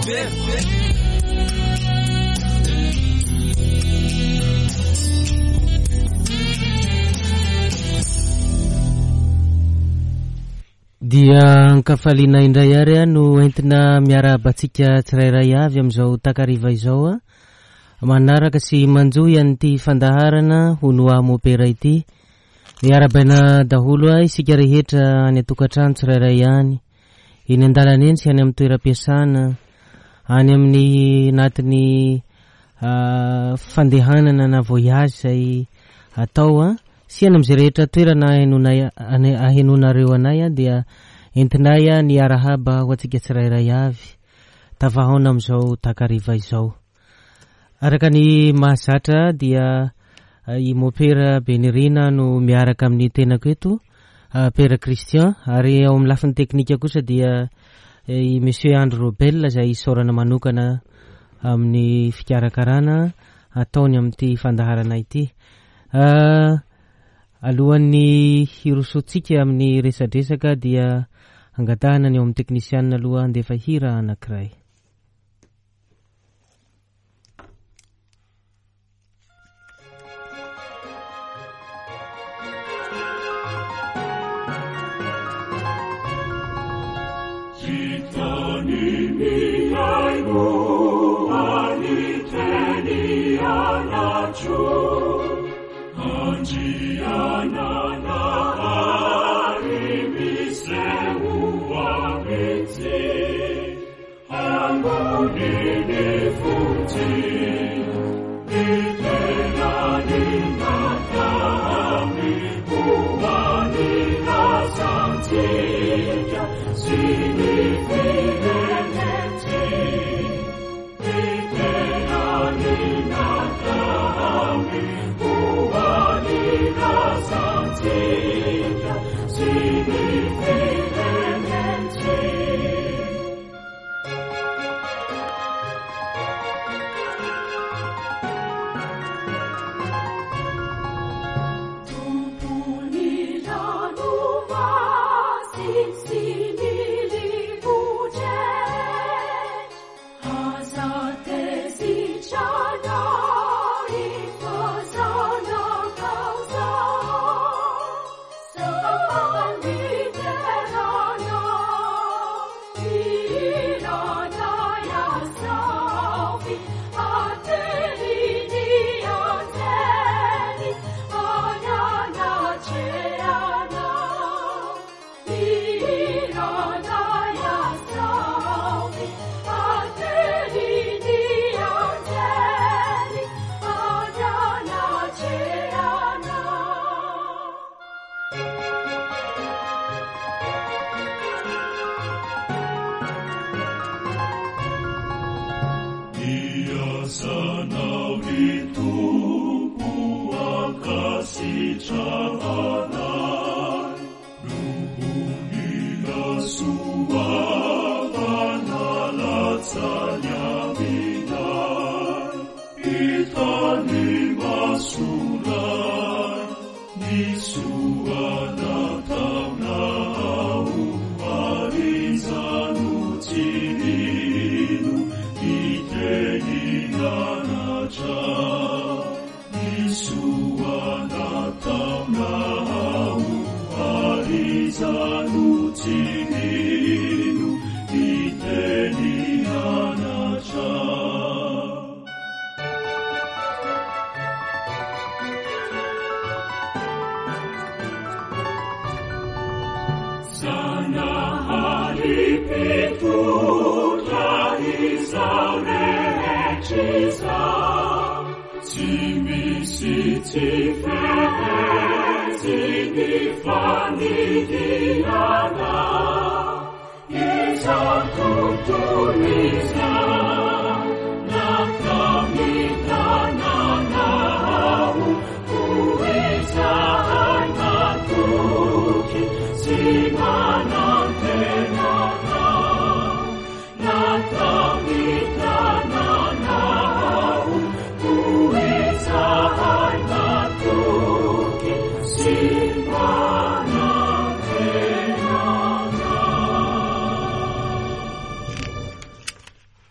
Dia ankafaliana indray ary no entina miarahaba antsika tsirairay avy amin'izao takariva izao manaraka sy manjohy an'ity fandaharana Hono Aho Mopera ity. Miarahabaina daholo isika rehetra any an-tokantrano tsirairay any, eny an-dalana eny sy any amin'ny toeram-piasana, any amin'ny anatin'ny fandehanana na voyage izay atao sy any amin'izay rehetra toerana ahenoanay ahenoanareo anay dia entinay ny arahaba ho antsika tsirairay avy tafahaona amin'izao takariva izao. Araka ny mahazatra dia i Mopera Benirina no miaraka amin'ny tenako eto, Père Christian, ary ao amin'ny lafiny teknika kosa dia i Monsieur Andry Robel izay isaorana manokana amin'ny fikarakarana ataony amin'ity fandaharana ity. Alohan'ny hirosoantsika amin'ny resadresaka dia angatahana ny ao amin'ny teknisianina aloha handefa hira anankiray.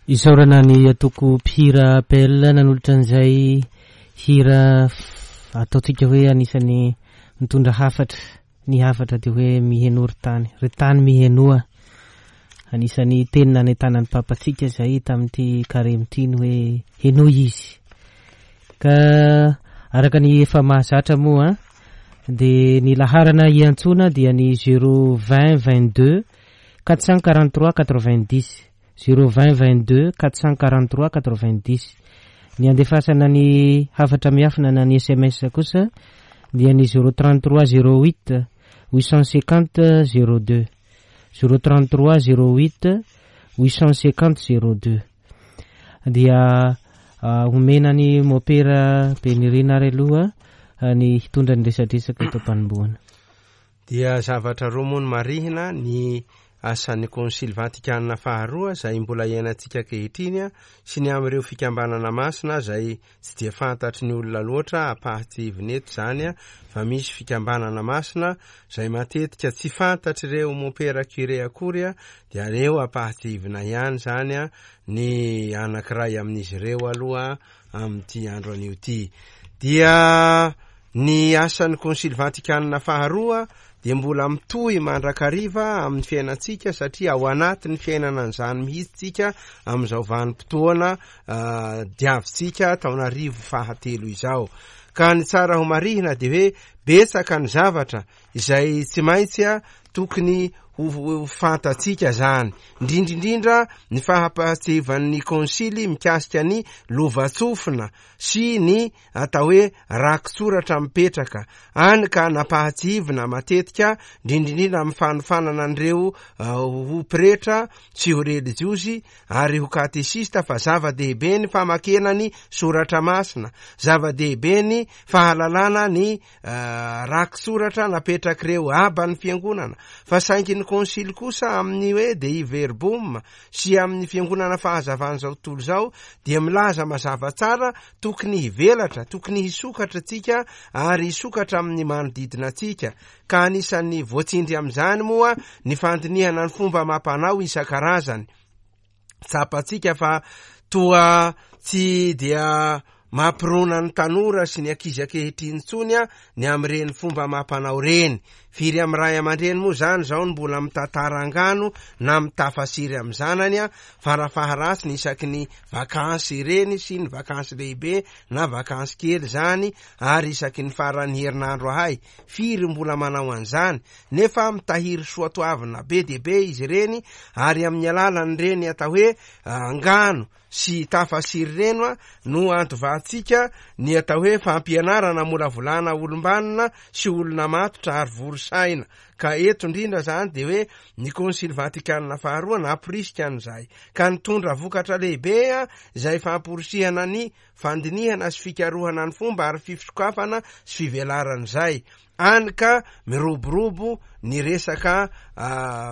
Isaorana ny antoko mpihira APL nanolotra an'izay hira ataontsika hoe anisan'ny mitondra hafatra. Ny hafatra dia hoe mihenoa ry tany, ry tany mihenoa. Anisan'ny teny nanentanan'ny Papantsika izay tamin'ity karemy ity ny hoe henoy izy. Ka araka ny efa mahazatra moa dia ny laharana hiantsoana dia ny 0 20 22 443 90. Zéro 20 22 443 90. Ny andefasana ny hafatra miafina na ny sms kosa dia ny zéro 33 08 850 02. Zéro 33 08 850 02. Dia omena ny mopera Benirina ary aloha ny hitondra ny resadresaka eto am-panombohana. Dia zavatra roa moa no marihina, ny asan'ny Konsily Vatikana faharoa izay mbola iainantsika ankehitriny sy ny amin'ireo fikambanana masina izay tsy dia fantatry ny olona loatra, ampahatsiahivina eto izany fa misy fikambanana masina izay matetika tsy fantatr'ireo mompera curé akory dia aleo ampahatsiahivina ihany izany ny anankiray amin'izy ireo aloha amin'ity andro anio ity. Dia ny asan'ny Konsily Vatikana faharoa dia mbola mitohy mandrakariva amin'ny fiainantsika satria ao anatin'ny fiainana an'izany mihitsy tsika amin'izao vanim-potoana ah, diavintsika taonarivo fahatelo izao. Ka ny tsara ho marihina dia hoe betsaka ny zavatra izay tsy maintsy tokony ho fantatsika zany, indrindra indrindra ny fahampahatsiahivan'ny konsily mikasika ny lovantsofina sy ny atao hoe rakitsoratra mipetraka, any ka nampahatsiahivina matetika indrindra indrindra amin'ny fanofanana an'ireo ho pretra sy ho relijiozy ary ho katesista fa zava-dehibe ny famakiana ny soratra masina, zava-dehibe ny fahalalana ny Rakitsoratra napetrak'ireo Aba ny Fiangonana, fa saingy ny Konsily kosa amin'ny hoe Dei Verbum sy amin'ny Fiangonana Fahazavan'izao tontolo izao dia milaza mazava tsara tokony hivelatra, tokony hisokatra tsika ary hisokatra amin'ny manodidina antsika, ka anisan'ny voatsindry amin'izany moa ny fandinihana ny fomba amam-panao isan-karazany. Tsapantsika fa toa tsy dia mampirona ny tanora sy ny ankizy ankehitriny intsony ny amin'ireny fomba amam-panao ireny. Firy amin'ny ray aman-dreny moa izany izao no mbola mitantara angano na mitafasiry amin'ny zanany farafaharatsiny isaky ny vakansy ireny sy ny vakansy lehibe na vakansy kely izany ary isaky ny faran'ny herinandro ahay. Firy mbola manao an'izany? Nefa mitahiry soatoavina be dia be izy ireny ary amin'ny alalan'ireny atao hoe angano sy tafasiry ireny no antovantsika ny atao hoe fampianarana hamolavolana olom-banona sy olona matotra ary vory saina. Ka eto indrindra izany dia hoe ny Konsily Vatikana faharoa namporisika an'izay ka nitondra vokatra lehibe izay famporisihana ny fandinihana sy fikarohana ny fomba ary fifisokafana sy fivelaran'izay. Any ka miroborobo ny resaka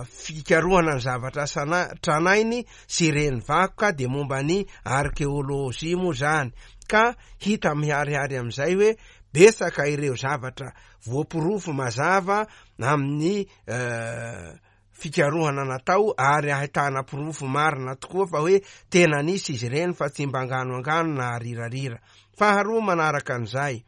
fikarohana ny zavatra tranainy sy ireny vakoka dia momba ny arkeolojia moa izany ka hita miharihary amin'izay hoe betsaka ireo zavatra voaporofo mazava amin'ny fikarohana natao ary ahitana porofo marina tokoa fa hoe tena nisy izy ireny fa tsy mba angano angano na arirarira. Faharoa manaraka an'izay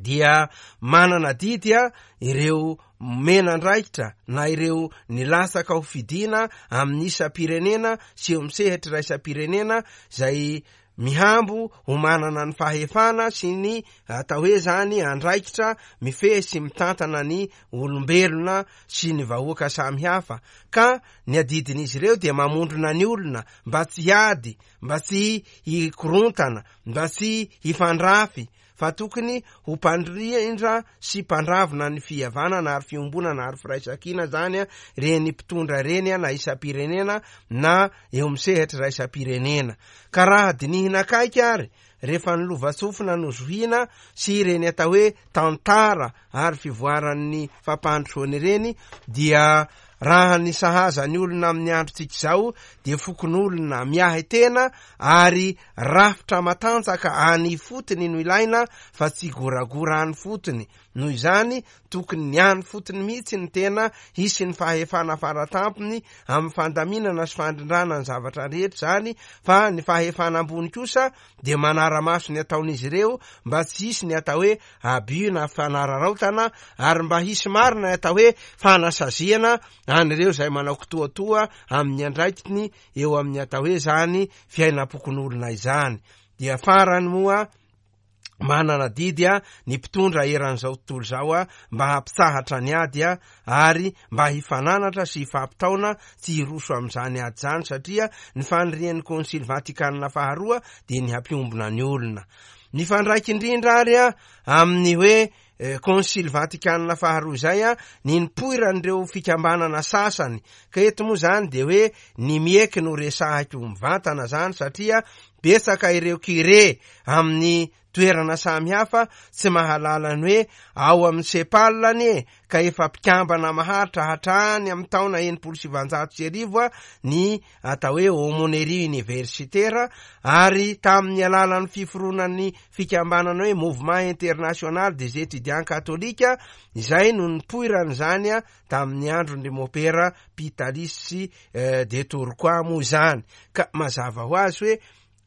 dia manana adidy ireo mena andraikitra na ireo nilatsaka ho fidiana amin'ny isam-pirenena sy eo amin'ny sehatra iraisam-pirenena izay mihambo ho manana ny fahefana sy ny atao hoe zany andraikitra mifehy sy mitantana ny olombelona sy ny vahoaka samihafa ka ny adidin'izy ireo dia mamondrona ny olona mba tsy hiady, mba tsy hikorontana, mba tsy hifandrafy fa tokony ho mpandrindra sy mpandravona ny fihavanana ary fiombonana ary firaisankina zany ireny mpitondra ireny na isam-pirenena na eo amin'ny sehatra iraisam-pirenena. Ka raha dinihina akaiky ary rehefa ny lovantsofina no zohiana sy ireny atao hoe tantara ary fivoaran'ny fampandrosoana ireny dia. Raha ny sahaza ny olona amin'ny androntsika izao dia fokonolona miahy tena ary rafitra matanjaka any ifotony no ilaina fa tsy goragora any fotony. Noho izany, tokony ny any fotony mihitsy ny tena hisy ny fahefana faratampony amin'ny fandaminana sy fandrindrana ny zavatra rehetra izany fa ny fahefana ambony kosa dia manara-maso ny ataon'izy ireo mba tsy hisy ny atao hoe abus na fanararaotana ary mba hisy marina ny atao hoe fanasaziana an'ireo izay manao kitoatoa amin'ny andraikiny eo amin'ny atao hoe izany fiainam-pokonolona izany. Dia farany moa, manana adidy ny mpitondra eran'izao tontolo izao mba hampitsahatra ny ady ary mba hifananatra sy hifampitaona tsy hiroso amin'izany ady izany satria ny fanirian'ny Konsily Vatikanina faharoa dia ny hampiombona ny olona. Mifandraika indrindra ary amin'ny hoe Konsily Vatikanina faharoa izay ny nipoiran'ireo fikambanana sasany ka eto moa izany dia hoe ny mieky no resahiko mivantana izany satria betsaka ireo curé amin'ny toerana samihafa tsy mahalala ny hoe ao amin'ny Cepal anie ka efa mpikambana maharitra hatrany amin'ny taona 1960 ny atao hoe Aumônerie Universitaire ary tamin'ny alalan'ny fiforonan'ny fikambanana hoe Mouvement International des Étudiants Catholiques izay no nipoiran'izany tamin'ny andron-dry Mopera Pitalis sy de Tourcoing moa izany ka mazava ho azy hoe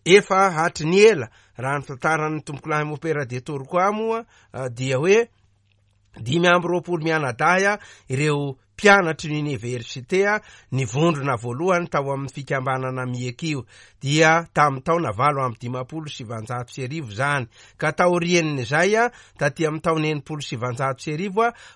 efa hatry ny ela raha ny tantaran'ny tompokolahy Mopera de Tourcoing moa dia hoe 25 mianadahy ireo mpianatry ny oniversite nivondrona voalohany tao amin'ny fikambanana Miekio dia tamin'ny taona 1958 izany ka taorian'izay taty amin'ny taona 1960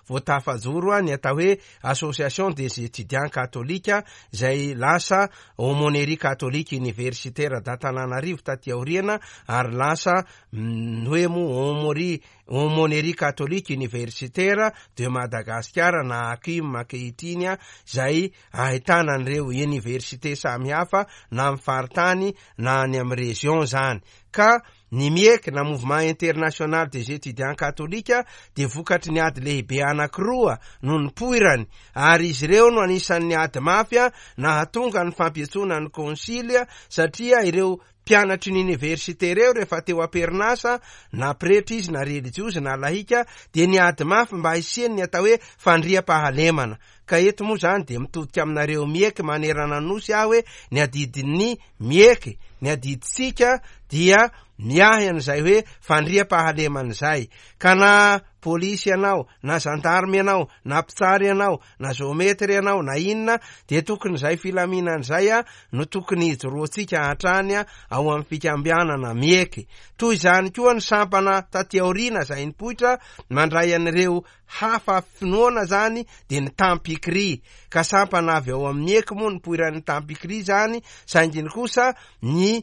vao tafajoro ny atao hoe Association des étudiants catholiques izay lasa Aumônerie catholique universitaire d'Antananarivo taty aoriana ary lasa hoe moa Aumônerie Aumônerie catholique universitaire de Madagascar na ACUM ankehitriny izay ahitana an'ireo université samihafa na amin'ny faritany na any amin'ny région izany ka ny MIEC na Mouvement International des Étudiants Catholiques dia vokatry ny ady lehibe anankiroa no nipoirany ary izy ireo no anisan'ny ady mafy nahatonga ny fampiantsoana ny konsily satria ireo mpianatry ny oniversite ireo rehefa teo am-perinasa na pretra izy na relijiozy na lahika dia niady mafy mba hisian'ny atao hoe fandriampahalemana ka eto moa izany dia mitodika aminareo mieky manerana ny nosy aho hoe ny adidin'ny mieky ny adidintsika dia miahy an'izay hoe fandriampahalemana izay ka na polisy ianao na zandarme ianao na mpitsara ianao na géomètre ianao na inona dia tokony izay filaminana izay a no tokony hijoroantsika hatrany ao amin'ny fikambanana mieky toy izany koa ny sampana taty aoriana izay nipoitra mandray an'ireo hafa finoana zany dia ny tampikri ka sampana avy ao amin'ny eky moa nipoiran'ny tampikri zany saingy ny kosa ny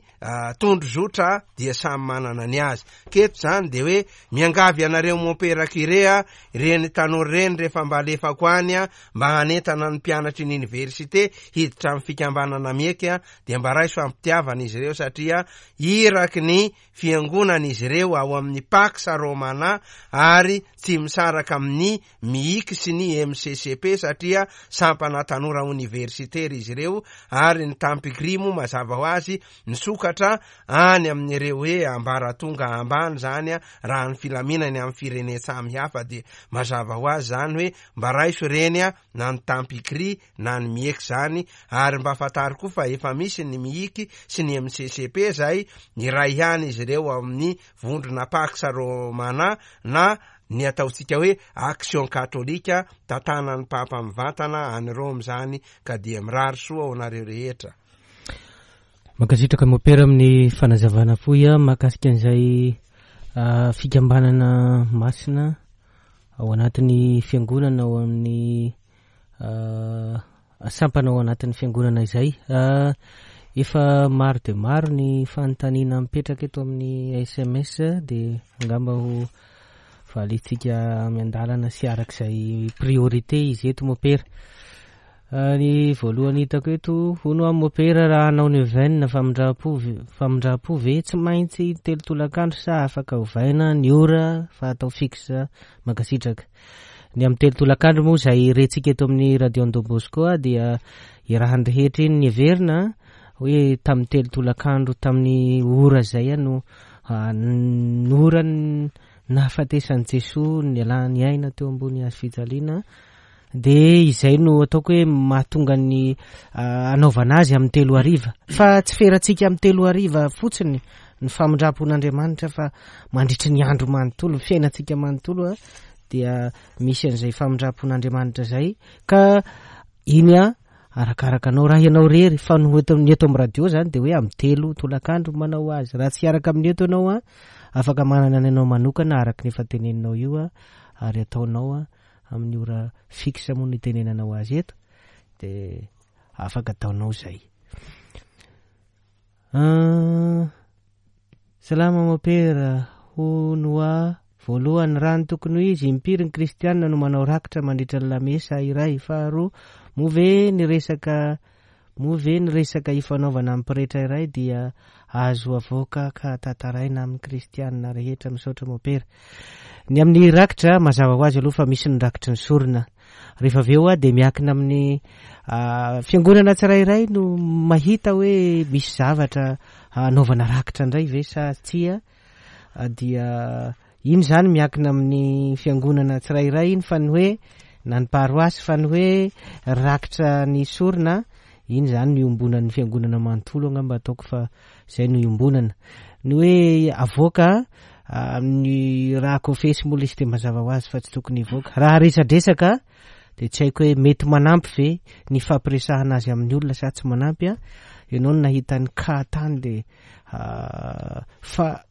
tondrozotra dia samy manana ny azy. Ka eto izany dia hoe miangavy anareo mompera curé a, ireny tanora ireny rehefa mba alefako any a, mba hanentana ny mpianatry ny université hiditra amin'ny fikambanana mieky a, dia mba raiso am-pitiavana izy ireo satria iraky ny fiangonana izy ireo ao amin'ny Pax Romana ary tsy misaraka amin'ny MIIC sy ny MCCP satria sampana tanora oniversitera izy ireo ary ny Tampigri moa mazava ho azy nisokatra any amin'ireo hoe ambaratonga ambany izany raha ny filaminany amin'ny firenen-tsamy hafa dia mazava ho azy izany hoe mba raiso ireny na ny Tampigri na ny MIEC izany ary mba fantaro koa fa efa misy ny MIIC sy ny MCCP izay iray ihany izy ireo ao amin'ny vondrona Pax Romana na ny ataontsika hoe Action Catholique tantanan'ny Papa mivantana any Rome izany ka dia mirary soa ho anareo rehetra. Mankasitraka Mopera amin'ny fanazavana fohy mahakasika an'izay fikambanana masina ao anatin'ny fiangonana ao amin'ny Sampana ao anatin'ny fiangonana izay. Efa maro dia maro ny fanontaniana mipetraka eto amin'ny sms dia angamba ho valintsika miandalana sy araka izay priorité izy eto mopera. Ny voalohany hitako eto, hono aho mopera raha hanao neuvaine famindram-po famindram-po ve tsy maintsy telo tolakandro sa afaka ovaina ny ora fa atao fixe? Mankasitraka. Ny amin'ny 3 tolakandro moa izay rentsika eto amin'ny Radio Don Bosco dia iarahan'ny rehetra iny ny heverina hoe tamin'ny 3 tolakandro tamin'ny ora izay no ora nahafatesan'i Jesoa nialany aina teo ambony hazo fijaliana. Dia izay no ataoko hoe mahatonga ny anaovana azy amin'ny 3 hariva. Fa tsy ferantsika amin'ny 3 hariva fotsiny ny famindram-pon'Andriamanitra fa mandritry ny andro manontolo, ny fiainantsika manontolo dia misy an'izay famindram-pon'Andriamanitra izay. Ka iny arakaraka anao raha ianao rery, fa ny eto amin'ny eto amin'ny radio zany dia hoe amin'ny 3 tolakandro manao azy. Raha tsy hiaraka amin'ny eto ianao afaka manana ny anao manokana araka ny efa teneninao io ary ataonao amin'ny ora fixe moa no itenenanao azy eto dia afaka ataonao izay. Salama mopera, hono a. Voalohany, raha ny tokony ho izy, impiry ny kristianina no manao rakitra mandritra ny lamesa iray? Faharoa, moa ve ny resaka moa ve ny resaka ifanaovana amin'ny pretra iray dia azo avoaka ka tantaraina amin'ny kristianina rehetra? Misaotra mopera. Ny amin'ny rakitra, mazava ho azy aloha fa misy ny rakitry ny sorona. Rehefa avy eo dia miankina amin'ny fiangonana tsirairay no mahita hoe misy zavatra hanaovana rakitra indray ve sa tsia. Dia iny zany miankina amin'ny fiangonana tsirairay iny, fa ny hoe na ny paroasy, fa ny hoe rakitra ny sorona iny zany no iombonan'ny fiangonana manontolo angamba ataoko fa zay no iombonana. Ny hoe avoaka amin'ny raha kofesy moa ilay izy dia mazava ho azy fa tsy tokony hivoaka. Raha resadresaka dia tsy haiko hoe mety manampy ve ny fampiresahana azy amin'ny olona sa tsy manampy a. Ianao no nahita ny cas tany dia fa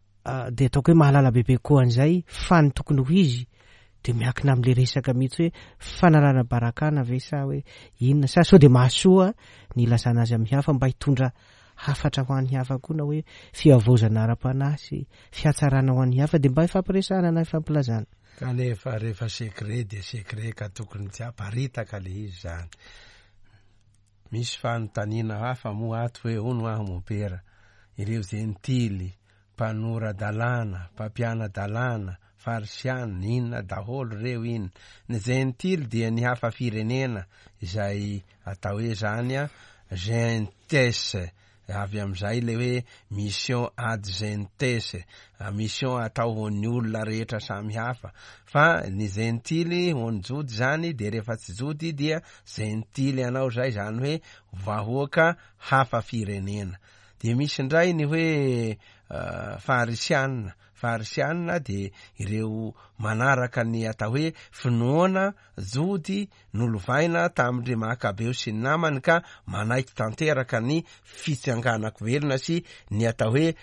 dia ataoko hoe mahalala bebe koa an'izay, fa ny tokony ho izy dia miankina amin'ilay resaka mihitsy hoe fanalana barakana ve sa hoe inona, sa sao dia mahasoa ny ilazana azy amin'ny hafa mba hitondra hafatra ho an'ny hafa koa, na hoe fihavaozana ara-panahy sy fihatsarana ho an'ny hafa, dia mba hifampiresahana na hifampilazana. Kanefa rehefa secret dia secret ka tokony tsy haparitaka le izy zany. Misy fanontaniana hafa moa ato hoe hono aho mopera, ireo jentily, mpanora-dalàna, mpampiana-dalàna, farisiana, inona daholo ireo iny. Ny jentily dia ny hafa firenena izay atao hoe zany gentes, avy amin'izay ilay hoe mission ad gentes, mission atao ho an'ny olona rehetra samy hafa. Fa ny jentily ho an'ny jody zany dia rehefa tsy jody dia jentily anao zay, zany hoe vahoaka hafa firenena. Dia misy indray ny hoe farisiana. Farisiana dia ireo manaraka ny atao hoe finoana jody nolovaina tamin-dry Makabeo sy ny namany ka manaiky tanteraka ny fitsanganako velona sy ny atao hoe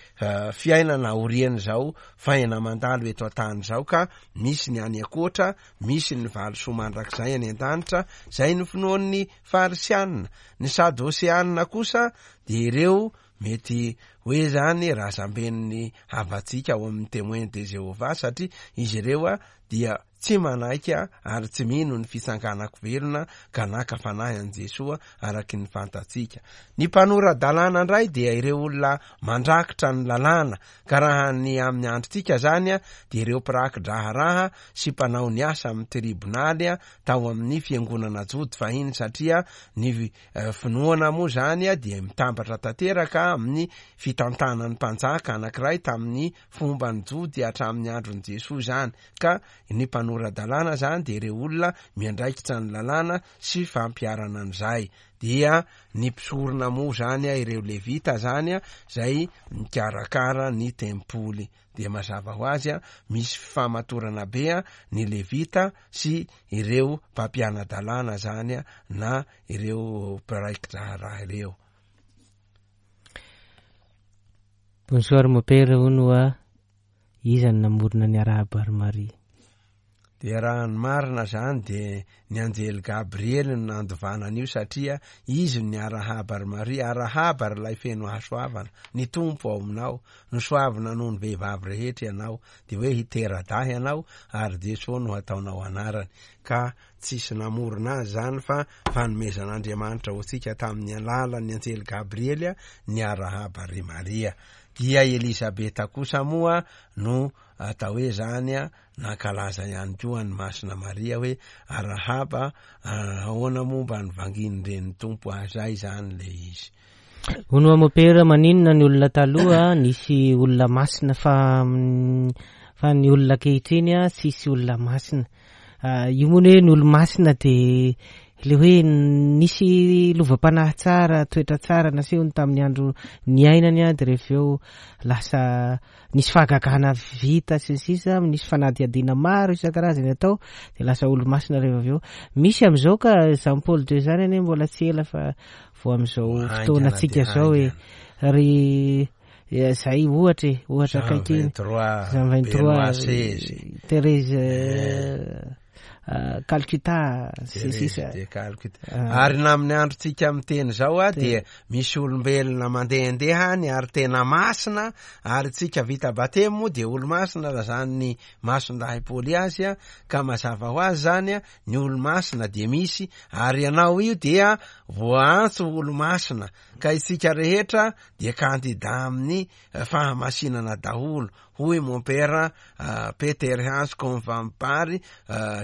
fiainana aorian'izao faina mandalo eto an-tany izao, ka misy ny any ankoatra, misy ny valisoa mandrakizay any an-danitra. Izay no finoan'ny Farisiana. Ny Sadoseana kosa dia ireo mety hoe zany razamben'ny havantsika ao amin'ny Témoins de Jéhovah, satria izy ireo dia tsy manaiky ary tsy mino ny fitsanganako velona ka naka fanahy an'i Jesoa araky ny fantatsika. Ny mpanora-dalàna indray dia ireo olona mandrakitra ny lalàna, ka raha ny amin'ny androntsika zany dia ireo mpiraki-draharaha sy mpanao ny asa amin'ny tribonaly tao amin'ny fiangonana jody fahiny, satria ny finoana moa zany dia mitambatra tanteraka amin'ny fitantanan'ny mpanjaka anankiray tamin'ny fomban'ny jody hatramin'ny andron'i Jesoa izany. Ka ny mpanora-dalàna zany dia ireo olona miandraikitra ny lalàna sy fampiharana an'izay. Dia ny mpisorona moa zany, ireo levita zany, izay mikarakara ny tempoly. Dia mazava ho azy, misy fifamatorana be ny levita sy ireo mpampiana-dalàna zany na ireo mpiraiki-draharaha ireo. Bonsoir mon père, hono hoa, iza no namorona ny Arahaba ry Maria? Dia raha ny marina zany dia ny anjely Gabriely no nandovana an'io, satria izy no niarahaba ry Maria. Arahaba ry ilay feno hasoavana, ny Tompo ao aminao, nosoavina noho ny vehivavy rehetra ianao, dia hoe hitera-dahy ianao ary Jesoa no hataonao anarany. Ka tsisy namorona azy zany fa fanomezan'Andriamanitra ho antsika tamin'ny alalan'ny anjely Gabriely ny arahaba ry Maria. Dia Elizabeta kosa moa no atao hoe zany a nankalaza ihany koa an'i Masina Maria hoe arahaba ahoana moa mba nivangian'ny renin'ny Tompo ahy zay zany le izy. Hono wa mopera maninona ny olona taloha nisy olona masina fa fa ny olona ankehitriny a tsisy olona masina. Io moa ny hoe ny olo-masina dia le hoe nisy lovam-panahy tsara, toetra tsara nasehony tamin'ny andro niainany a dia rehefa eo lasa nisy fahagagana vita sy ny sisa, nisy fanadihadiana maro isan-karazany atao dia lasa olo-masina rehefa avy eo. Misy amin'izao ka Jean Paul II zany anie mbola tsy ela fa vao amin'izao fotoanantsika izao e. Ry zay ohatra e, ohatra akaiky iny. Jean 23, Thérèse Calcutta sy ny sisa. De Calcutta. Ary na amin'ny androntsika miteny izao a dia misy olombelona mandehandeha any ary tena masina ary tsika vita batemy moa dia olomasina raha zany ny mason-dahy Paoly azy a, ka mazava ho azy zany a ny olomasina dia misy ary ianao io dia voaantso ho olomasina ka isika rehetra dia kandida amin'ny fahamasinana daholo hoy Mompera Peter Hans Convampary,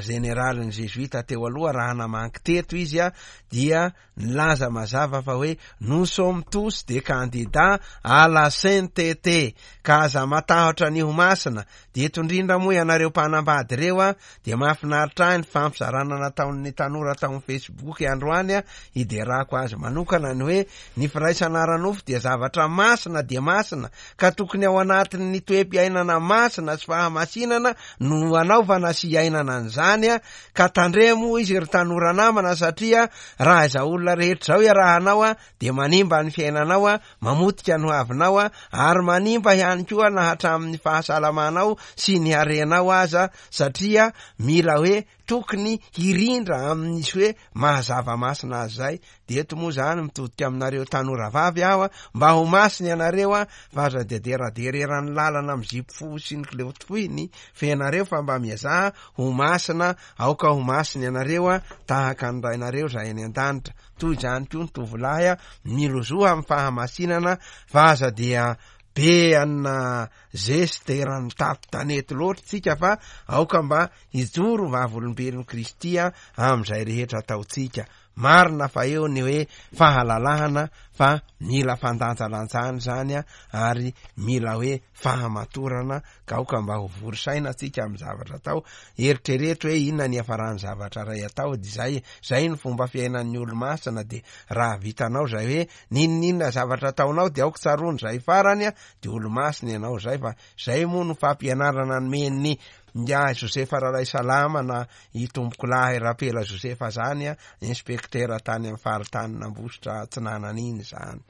jeneralin'ny Zezoita teo aloha raha namangy teto izy dia nilaza mazava fa hoe nous sommes tous des candidats à la sainteté ka aza matahotra ny ho masina. Dia eto indrindra moa ianareo mpanambady ireo a dia mahafinaritra ahy ny fampizarana nataon'ny tanora tao amin'ny Facebook androany a, hiderako azy manokana ny hoe ny firaisana ara-nofo dia zavatra masina dia masina ka tokony ao anatin'ny toe-piainana masina sy fahamasinana no anaovana sy iainana an'izany a, ka tandremo hoy izy ry tanora namana satria raha izao olona rehetra izao iarahanao a dia manimba ny fiainanao a, mamotika ny hoavinao a, ary manimba ihany koa na hatramin'ny fahasalamanao sy ny harenao aza satria mila hoe tokony hirindra amin'isy hoe maha zava-masina azy izay, dia eto moa izany mitodika aminareo tanora vavy aho a, mba ho masina ianareo a, fa aza dia deradera eran'ny lalana amin'ny zipo fohy sy ny kilaoty fohy ny fenareo fa mba miezaha ho masina, aoka ho masina ianareo a, tahaka ny Rainareo izay any an-danitra. Toy izany koa ny tovolahy a, milozoha amin'ny fahamasinana fa aza dia be anina zeste eran'ny tapo-tanety loatra tsika fa aoka mba hijoro vavolombelon'i Kristy amin'izay rehetra ataontsika. Marina fa eo ny hoe fahalalahana fa mila fandanjalanjana izany ary mila hoe fahamatorana ka aoka mba ho vory saina tsika amin'ny zavatra atao. Eritrereto hoe inona ny hiafaran'ny zavatra iray atao dia izay, izay ny fomba fiainan'ny olo-masina dia raha vitanao izay hoe n'inon'inona zavatra ataonao dia aoka tsaroana izay farany dia olo-masina ianao izay fa izay moa no fampianarana nomen'ny ingahy Josefa Ralaisalama na i Tompokolahy Rapela Josefa zany a, inspektera tany amin'ny faritanin'Ambositra Atsinanana iny izany.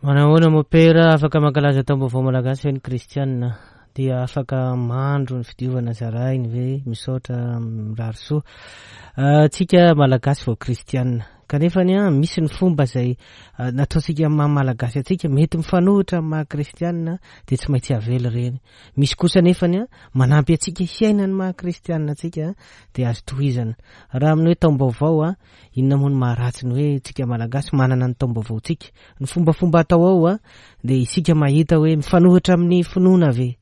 Manahoana mopera, afaka mankalaza taom-baovao malagasy ve ny kristianina? Dia afaka mandro ny fidiovana zarainy ve? Misaotra mirary soa. Tsika malagasy vao kristianina. Kanefa ny an, misy ny fomba izay nataontsika amin'ny maha malagasy antsika mety mifanohitra amin'ny maha kristianina dia tsy maintsy avela ireny. Misy kosa anefa ny an, manampy antsika hiaina ny maha kristianina antsika dia azo tohizana. Raha amin'ny hoe taom-baovao an, inona moa no maharatsy ny hoe tsika malagasy manana ny taom-baovaontsika? Ny fombafomba atao ao an, dia isika mahita hoe mifanohitra amin'ny finoana ve?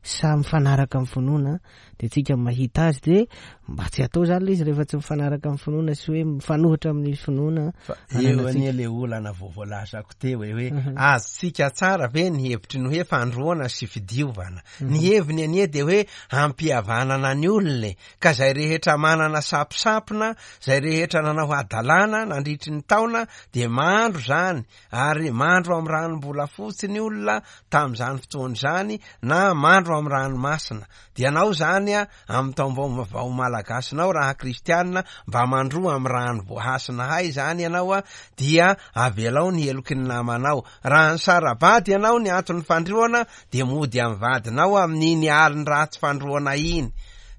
sa mifanaraka amin'ny finoana dia tsika mahita azy dia mba tsy atao zany le izy rehefa tsy mifanaraka amin'ny finoana sy hoe mifanohitra amin'ny finoana. Fa eo anie le olana vao voalazako teo e hoe mhm. azontsika tsara ve ny hevitry ny hoe fandroana sy fidiovana. Mhm. Ny heviny anie dia hoe hampihavanana ny olona e. Ka zay rehetra manana sapisapina, zay rehetra nanao hadalana nandritry ny taona dia mandro zany Ary mandro amin'ny ranom-bolafotsy ny olona tamin'izany fotoana izany na mandro amin'ny ranomasina. Dia ianao izany amin'ny taom-baovao malagasinao raha kristianina mba mandroa amin'ny rano voahasina hay izany ianao dia avelao ny heloky ny namanao. Raha nisara-bady ianao ny anton'ny fandroana dia mody amin'ny vadinao amin'iny alin-dratsy fandroana iny.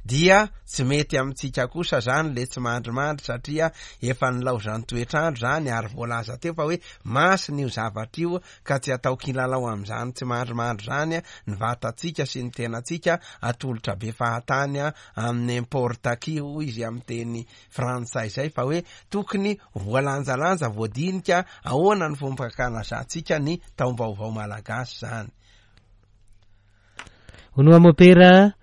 Dia tsy mety amintsika kosa zany le tsy mandrimandry satria efa nilaozan'ny toetr'andro zany ary voalaza teo fa hoe masina io zavatra io ka tsy atao kilalao amin'izany tsy mandrimandry zany ny vatantsika sy ny tenantsika atolotra be fahatany amin'ny n'importe qui hoy izy amin'ny teny frantsay zay fa hoe tokony voalanjalanja voadinika ahoana ny fomba fankalazantsika ny taom-baovao malagasy zany. Hono mopera,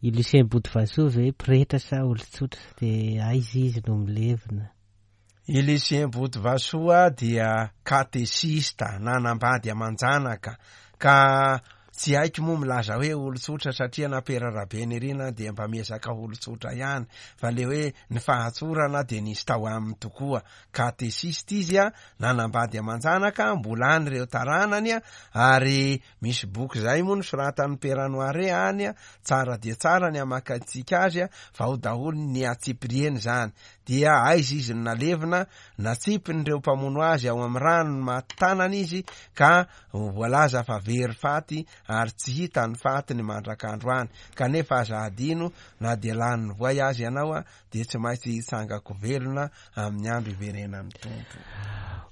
i Lucien Botovasoa ve pretra sa olon-tsotra dia aiza izy no milevina? I Lucien Botovasoa dia katesista nanambady aman-janaka ka tsy haiko moa milaza hoe olon-tsotra satria na Pera Rabenirina dia mba miezaka olon-tsotra ihany fa le hoe ny fahatsorana dia nisy tao aminy tokoa. Katesista izy a, nanambady aman-janaka, mbola any ireo taranany a, ary misy boky izay moa nosoratan'i Pera Noiret any a, tsara dia tsara ny hamakantsika azy a, fa ao daholo ny antsipiriany izany. Dia aiza izy no nalevina? Natsipin'ireo mpamono azy ao amin'ny rano ny maty tanana izy ka voalaza fa very faty ary tsy hita ny fatiny mandrak'androany. Kanefa aza hadino na dia lanin'ny voay aza ianao dia tsy maintsy hitsangako velona amin'ny andro hiverenan'ny Tompo.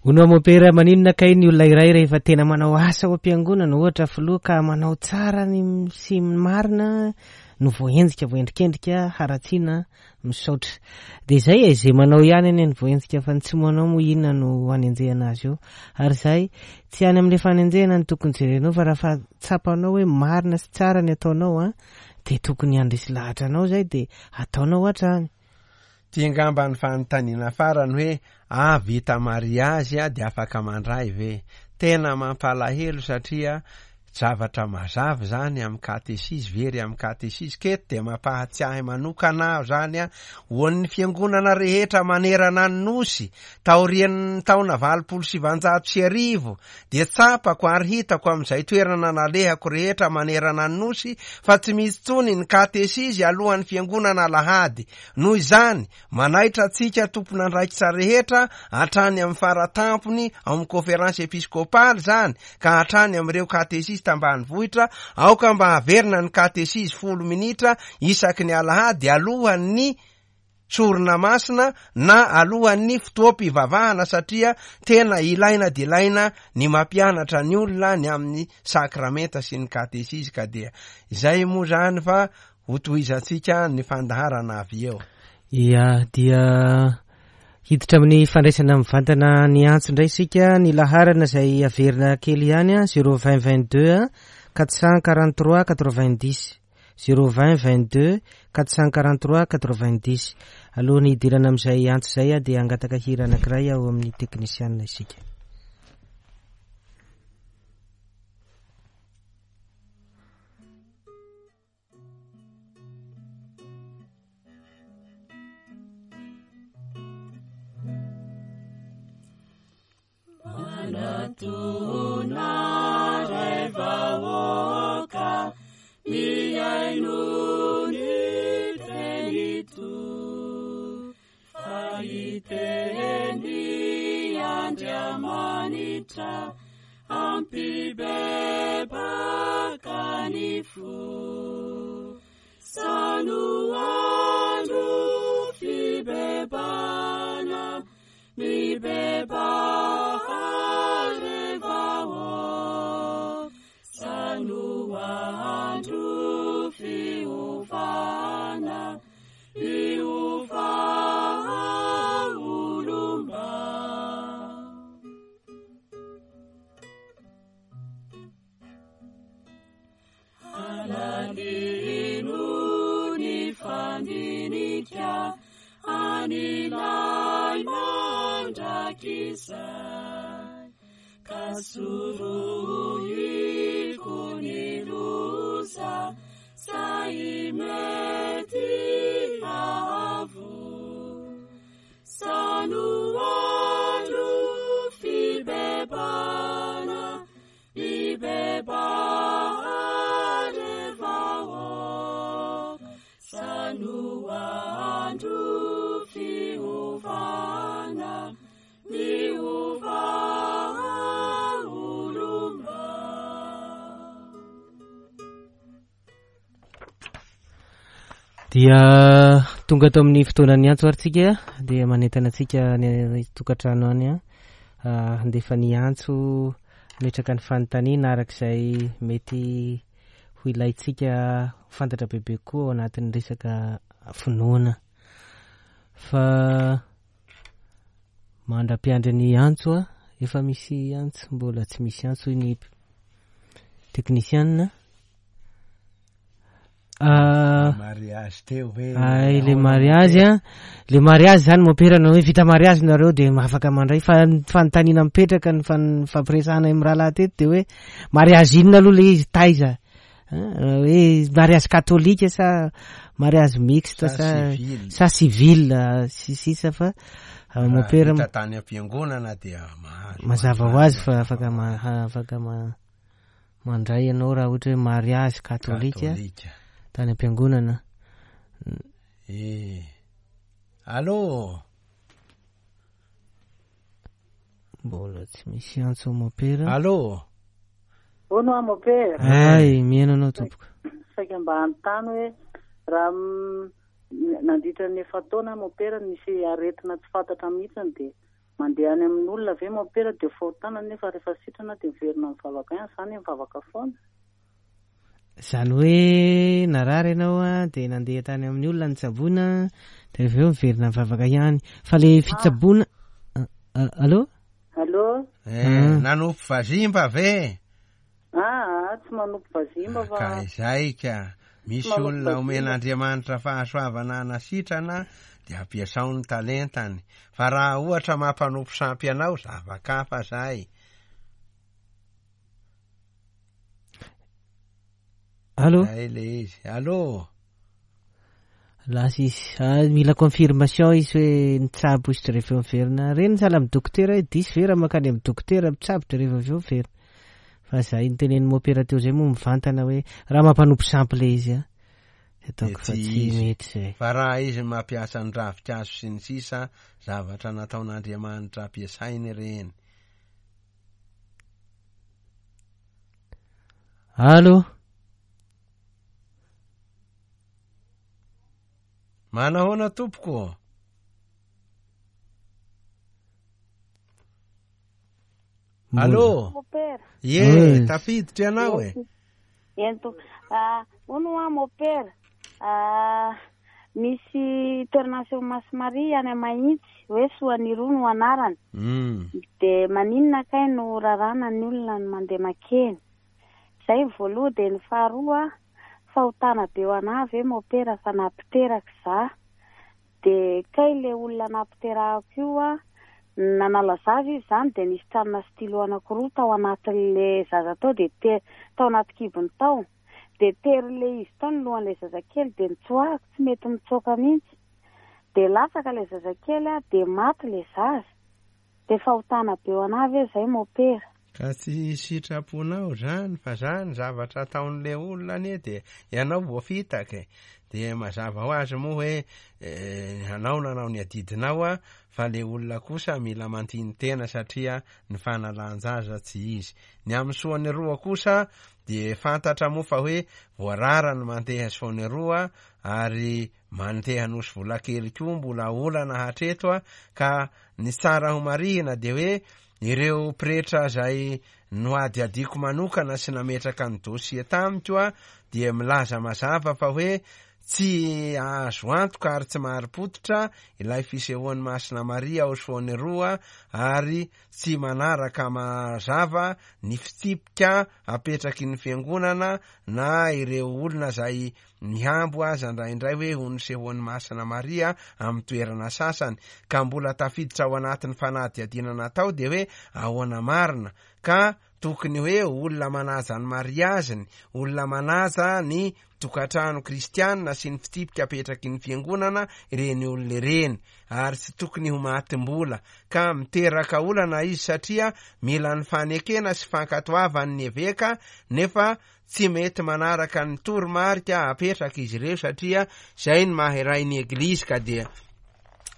Hono mopera, maninona kay ny olona iray rehefa tena manao asa ao am-piangonana, ohatra filoha ka manao tsara ny sy ny marina no voahenjika, voaendrikendrika, haratsiana, misaotra. Dia izay e, izay manao ihany anie ny voahenjika fa ny tsy manao moa inona no hanenjehana azy eo. Ary izay, tsy any amin'ilay fanenjehana no tokony jerenao fa raha fa tsapanao hoe marina sy tsara ny ataonao an, dia tokony handresy lahatra anao izay dia ataonao hatrany. Ty angamba ny fanontaniana farany hoe ah vita mariazy dia afaka mandray ve? Tena mampalahelo satria zavatra mazava izany amin'ny katesizy, very amin'ny katesizy, k'eto dia mampahatsiahy manokana aho izany an, ho an'ny fiangonana rehetra manerana ny Nosy, taorian'ny taona 1980 dia tsapako ary hitako amin'izay toerana nalehako rehetra manerana ny Nosy fa tsy misy intsony ny katesizy alohan'ny fiangonana alahady. Noho izany, manaitra antsika tompon'andraikitra rehetra hatrany amin'ny faratampony ao amin'ny Konferansy Episkopaly izany ka hatrany amin'ireo katesizy tambanivohitra, aoka mba haverina ny katesizy 10 minitra isaky ny alahady alohan'ny sorona masina na alohan'ny fotoam-pivavahana satria tena ilaina dia ilaina ny mampianatra ny olona ny amin'ny sakramenta sy ny katesizy ka dia izay moa izany fa hotohizantsika ny fandaharana avy eo. Ia, dia hiditra amin'ny fandraisana mivantana ny antso indray isika, ny laharana izay averina kely ihany, 020 22 443 90. Zéro vingt vingt deux 443 90. Alohan'ny hidirana amin'izay antso izay dia hangataka hira anankiray ao amin'ny teknisianina isika. Manatona ray vahoaka mihaino ny tenito fa hiteny Andriamanitra hampibebaka ny fo. Sano andro fibebana mibebaha ry vahoaka. Sano andro fiovana miova olomba. Alalino ny fandinika an'ilay mandrakizay, ka sorohiko ny loza zay mety hahavoa. Sano andro fibebana, mibebaha ry vahoaka. Sano andro fiovana, miova olomba. Dia tonga ato amin'ny fotoanan'ny antso ary tsika dia manentana antsika any tokantrano any an handefa ny antso hametraka ny fanontaniana araka izay mety ho ilaintsika ho fantatra bebe kokoa ao anatin'ny resaka finoana. Fa mandra-piandry ny antso a, efa misy antso, mbola tsy misy antso hoy ny teknisianina. Ah, mariage teo hoe ay le mariage a, le mariage zany mompera na hoe vita mariage nareo de afaka mandray fa ny fanontaniana mipetraka ny fan-, fampiresahana amin'ny rahalahy teto de hoe mariage inona aloha le izy taiza? Ah, hoe mariage katolika sa mariage mixte Sa sa civil. sa civil, ah, sy sisa fa, ah, Raha mompera vita tany am-piangonana dia mahazo mazava ho azy fa afaka ma-, afaka ma-, mandray ianao raha ohatra hoe mariage katolika Katolika. tany am-piangonana. Eh. Allô? Mbola tsy misy antso mompera. Allô? Hono aho mompera. Ay, mihaino anao tompoko. Saika mba hanontany hoe raha nandritra ny efa-taona mompera nisy aretina tsy fantatra mihitsy dia mandeha any amin'olona ve mompera dia fahotana nefa rehefa sitrana dia miverina mivavaka ihany, zany mivavaka foana. Zany hoe narary ianao a, dia nandeha tany amin'ny olona nitsaboina, dia avy eo miverina mivavaka ihany. Fa le fitsaboana, allô? Allô? Nanompo vazimba ve? Ah, tsy manompo vazimba fa Ka izay ka. Misy Tsy manompo olona vazimba. omen'Andriamanitra fahasoavana hanasitrana dia ampiasao ny talentany. Fa raha ohatra mampanompo sampy anao, zava-kafa zay. Allô? Zay le izy. Allô? Lasa izy. Ah, mila confirmation izy hoe nitsabo izy de rehefa miverina. Reny sahala amin'ny dokotera hoe diso ve raha mankany amin'ny dokotera mitsabo de rehefa avy eo miverina. Fa zay nitenen'ny mompera teo zay moa mivantana hoe raha mampanompo sampy le izy a. Ataoko fa Dia tsy tsy izy. mety zay. Fa raha izy mampiasa ny ravinkazo sy ny sisa, zavatra nataon'Andriamanitra ampiasainy ireny. Allô? Manahoana tompoko? Allô? Mopera. Ye, Oi. tafiditra ianao e. Ento. Ah, hono hoa mopera. Ah, misy toerana aseho Masy Maria any Mahitsy, hoe Soanirou no anarany. De maninona kay no rarana ny olona ny mandeha makeny? Zay ny voalohany, de ny faharoa, fahotana be ho anahy ve mopera fa nampiteraka za. De kay le olona nampiterahako io a, nanala zaza izy zany, de nisy tranona stylo anankiroa tao anatin'le zaza tao, de tao anaty kibony tao. De tery le izy tao ny lohan'le zazakely, de nitsoahako, tsy mety mitsoaka mihitsy. De latsaka le zazakely a, de maty le zaza. De fahotana be ho anahy ve zay mopera? Ka tsy sitraponao zany, fa zany zavatra ataon'le olona anie de ianao voafitaka e. De mazava ho azy moa hoe, anao nanao ny adidinao a, fa le olona kosa mila mantiny-tena satria ny fanalan-jaza tsy izy. Ny amin'ny soany roa kosa de fantatra moa fa hoe voarara ny mandeha soany roa ary mandeha nosy vola kely koa mbola olana hatreto a, ka ny tsara ho marihina de hoe ireo pretra zay noadiadiko manokana sy nametraka ny dossier tamiko a, dia milaza mazava fa hoe tsy azo antoka ary tsy marim-pototra ilay fisehoan'ny Masina Maria ao Soany roa ary tsy manaraka mazava ny fitsipika apetraky ny fiangonana na ireo olona zay mihambo aza indraindray hoe ho nisehoan'ny Masina Maria amin'ny toerana sasany, ka mbola tafiditra ao anatin'ny fanadihadiana natao de hoe ahoana marina, ka tokony hoe olona manaja ny mariaziny, olona manaja ny tokantrano kristianina sy ny fitsipika apetraky ny fiangonana ireny olona ireny, ary tsy tokony ho matim-bola, ka miteraka olana izy satria mila ny fanekena sy fankatoavan'ny eveka, nefa tsy mety manaraka ny toromarika apetraka izy ireo satria zay ny maha-iray ny eglizy, ka dia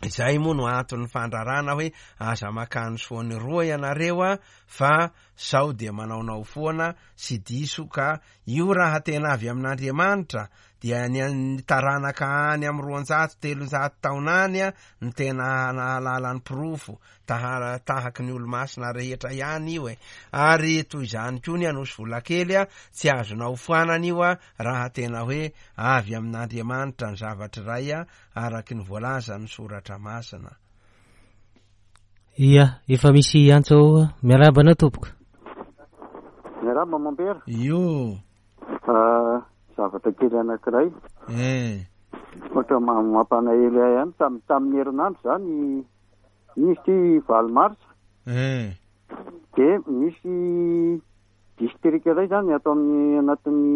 izay moa no anton'ny fandrarana hoe aza makany soany roa ianareo a, fa sao dia manaonao foana sy diso, ka io raha tena avy amin'Andriamanitra dia ny an'ny taranaka any amin'ny 200, 300 taona any no tena nahalala ny porofo, taha-, tahaky ny olomasina rehetra ihany io e. Ary toy izany koa ny Anosy Volakely, tsy azonao foanana io raha tena hoe avy amin'Andriamanitra ny zavatra iray araky ny voalazan'ny Soratra Masina. Ia, efa misy antso ao. Miarahaba anao tompoko. Miarahaba mompera. Io. Zavatra kely anankiray. Eh. Ohatra mampanahelo ahy ihany tamin'ny herinandro izany, iny izy ity 8 marsa. Eh. Dia misy district iray izany ato amin'ny anatin'ny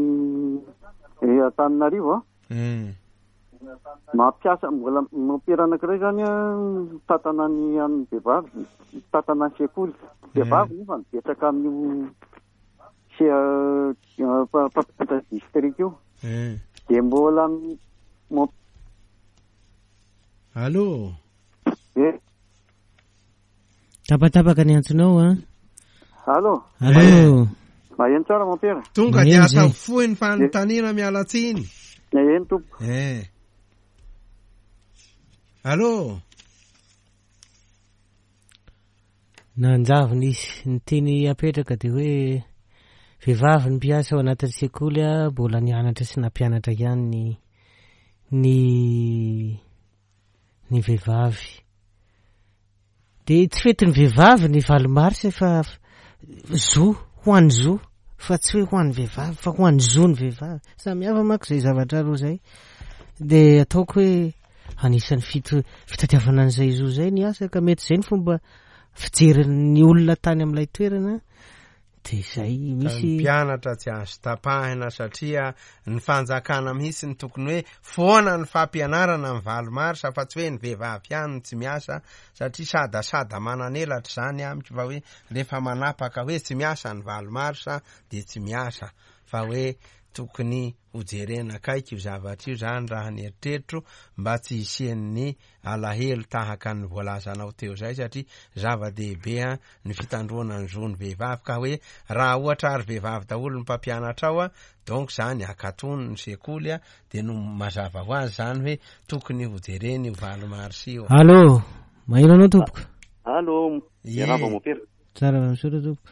Antananarivo a. Eh. Mampiasa mbola mompera anankiray izany a, mitantana ny an'ny vehivavy, mitantana ny sekoly. Vehivavy nefa mipetraka amin'io mpampianatra district io. Dia mbola Allô? Eh. Tapatapaka ny antsonao a. Allô? Allô? Maheno tsara mompera. Tonga dia atao fohy ny fanontaniana, miala tsiny. Eny tompoko. Eh. Allô? Nanjavona izy. Ny tiany apetraka dia hoe vehivavy ny mpiasa ao anatin'ny sekoly a, mbola nianatra sy nampianatra ihany ny vehivavy. Dia tsy fetin'ny vehivavy ny 8 marsa fa zo, ho an'ny zo, fa tsy hoe ho an'ny vehivavy, fa ho an'ny zo ny vehivavy. Samy hafa manko izay zavatra roa izay. Dia ataoko hoe anisan'ny fitadiavana an'izay zo izay ny asa, ka mety izay ny fomba fijerin'ny olona tany amin'ilay toerana. Dia izay misy Ny mpianatra tsy azo tapahina satria ny fanjakana mihitsy ny tokony hoe foana ny fampianarana ny 8 marsa, fa tsy hoe ny vehivavy ihany no tsy miasa, satria sadasada mananelatra izany amiko, fa hoe rehefa manapaka hoe tsy miasa ny 8 marsa dia tsy miasa, fa hoe tokony hojerena akaiky io zavatra io zany raha ny eritreritro, mba tsy hisian'ny alahelo tahaka ny voalazanao teo izay, satria zava-dehibe ny fitandroana ny zon'ny vehivavy, ka hoe raha ohatra ary vehivavy daholo ny mpampianatra ao a, donc zany akatony ny sekoly a, dia no mazava ho azy zany hoe tokony hojerena io 8 marsa io. Allô, maheno anao tompoko? Allô, miarahaba mompera. Tsara misaotra tompoko.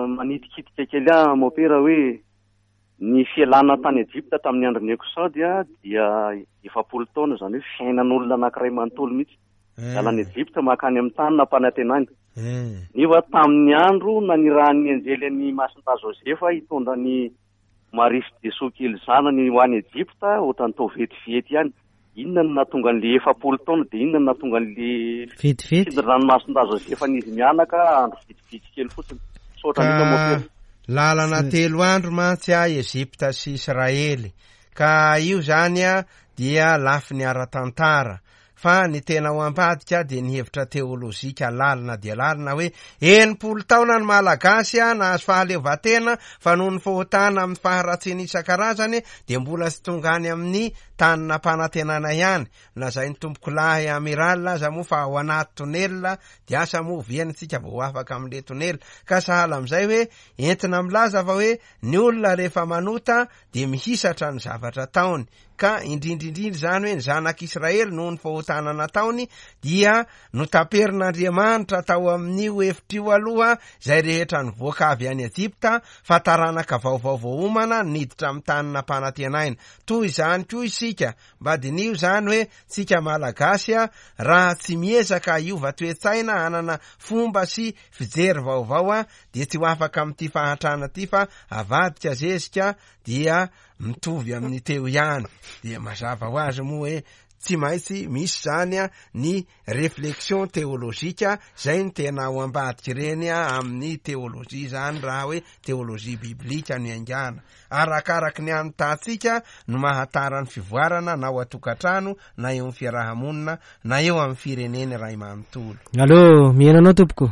Manitikitika kely ahy mompera hoe ny fialana tany Egypta tamin'ny andron'ny Exode dia 40 taona, izany hoe fiainan'olona anankiray manontolo mihitsy. Miala any Egypta mankany amin'ny tany nampanantenany. Nefa tamin'ny andro nanirahan'ny anjely an'i Masindahy Josefa hitondra ny Maria sy Jesoa kely zanany ho any Egypta, ohatran'ny tao vetivety ihany. Inona no nahatonga an'le 40 taona, dia inona no nahatonga an'le Vetivety? fitondran'ny Masindahy Josefa an'izy mianaka andro vitsivitsy kely fotsiny. Misaotra indrindra, Ka mompera. lalana 3 andro mantsy a Egypta sy Israely, ka io zany a dia lafiny ara-tantara, fa ny tena ho ambadika dia ny hevitra teolojika lalina dia lalina hoe 60 taona ny Malagasy a nahazo fahaleovantena, fa noho ny fahotana amin'ny faharatsiana isan-karazany dia mbola tsy tonga any amin'ny tany nampanantenana ihany. Lazain'ny tompokolahy amiral aza moa fa ao anaty tonelina, dia asa moa oviana isika vao ho afaka amin'ilay tonelina. Ka sahala amin'izay hoe entina milaza fa hoe ny olona rehefa manota dia mihisatra ny zavatra ataony, ka indrindrindrindra izany hoe ny zanak'Israely noho ny fahotana nataony dia notaperin'Andriamanitra tao amin'io efitra io aloha izay rehetra nivoaka avy any Egypta, fa taranaka vaovao voaomana niditra amin'ny tany nampanantenaina. Toy izany koa isika, mba diniho izany hoe tsika Malagasy raha tsy miezaka hiova toe-tsaina hanana fomba sy fijery vaovao dia tsy ho afaka amin'ity fahantrana ity, fa avadika zezika dia mitovy amin'ny teo ihany. Dia mazava ho azy moa hoe tsy maintsy misy zany ny réflexion théologique, zay ny tena ao ambadika ireny amin'ny théologie zany, raha hoe théologie biblique no iaingana. Arakaraky ny anotantsika no mahatara ny fivoarana na ao an-tokantrano, na eo amin'ny fiarahamonina, na eo amin'ny firenena iray manontolo. Allô, miheno anao tompoko?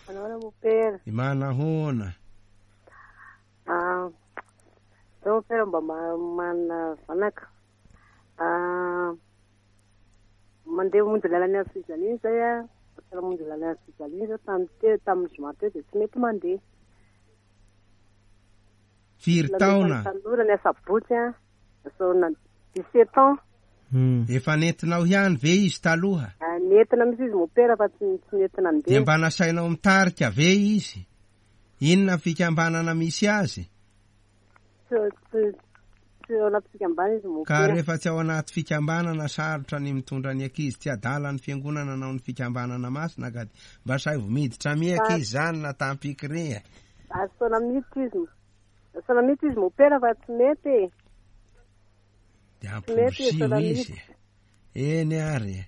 Manao mompera. Manahoana? Zao mompera mba manana zanaka. Mandeha mamonjy lalana amin'ny fijaliana izay a. Raha mamonjy lalana amin'ny fijaliana izao tamin'ny teo, tamin'ny zoma teo dia tsy mety mandeha. Firy taona? Tanora ny asabotsy a. Zona 17 ans. Efa nentinao ihany ve izy taloha? Ah, Nentina mihitsy izy mopera fa tsy tsy nentina Dia andeha. mba nasainao mitarika ve izy? Inona fikambanana misy azy? Tsy tsy tsy ao anaty fikambanana izy Ka mopera. rehefa tsy ao anaty fikambanana sarotra ny mitondra ny ankizy tsy adala ny fiangonana nao ny fikambanana masina ka mba saivo miditra mi ankizy zany na tampikire. Asaina miditra izy. Asaina miditra izy mopera fa tsy mety e. Dia Tsy mety amporisiho asaina izy. miditra. Eny ary.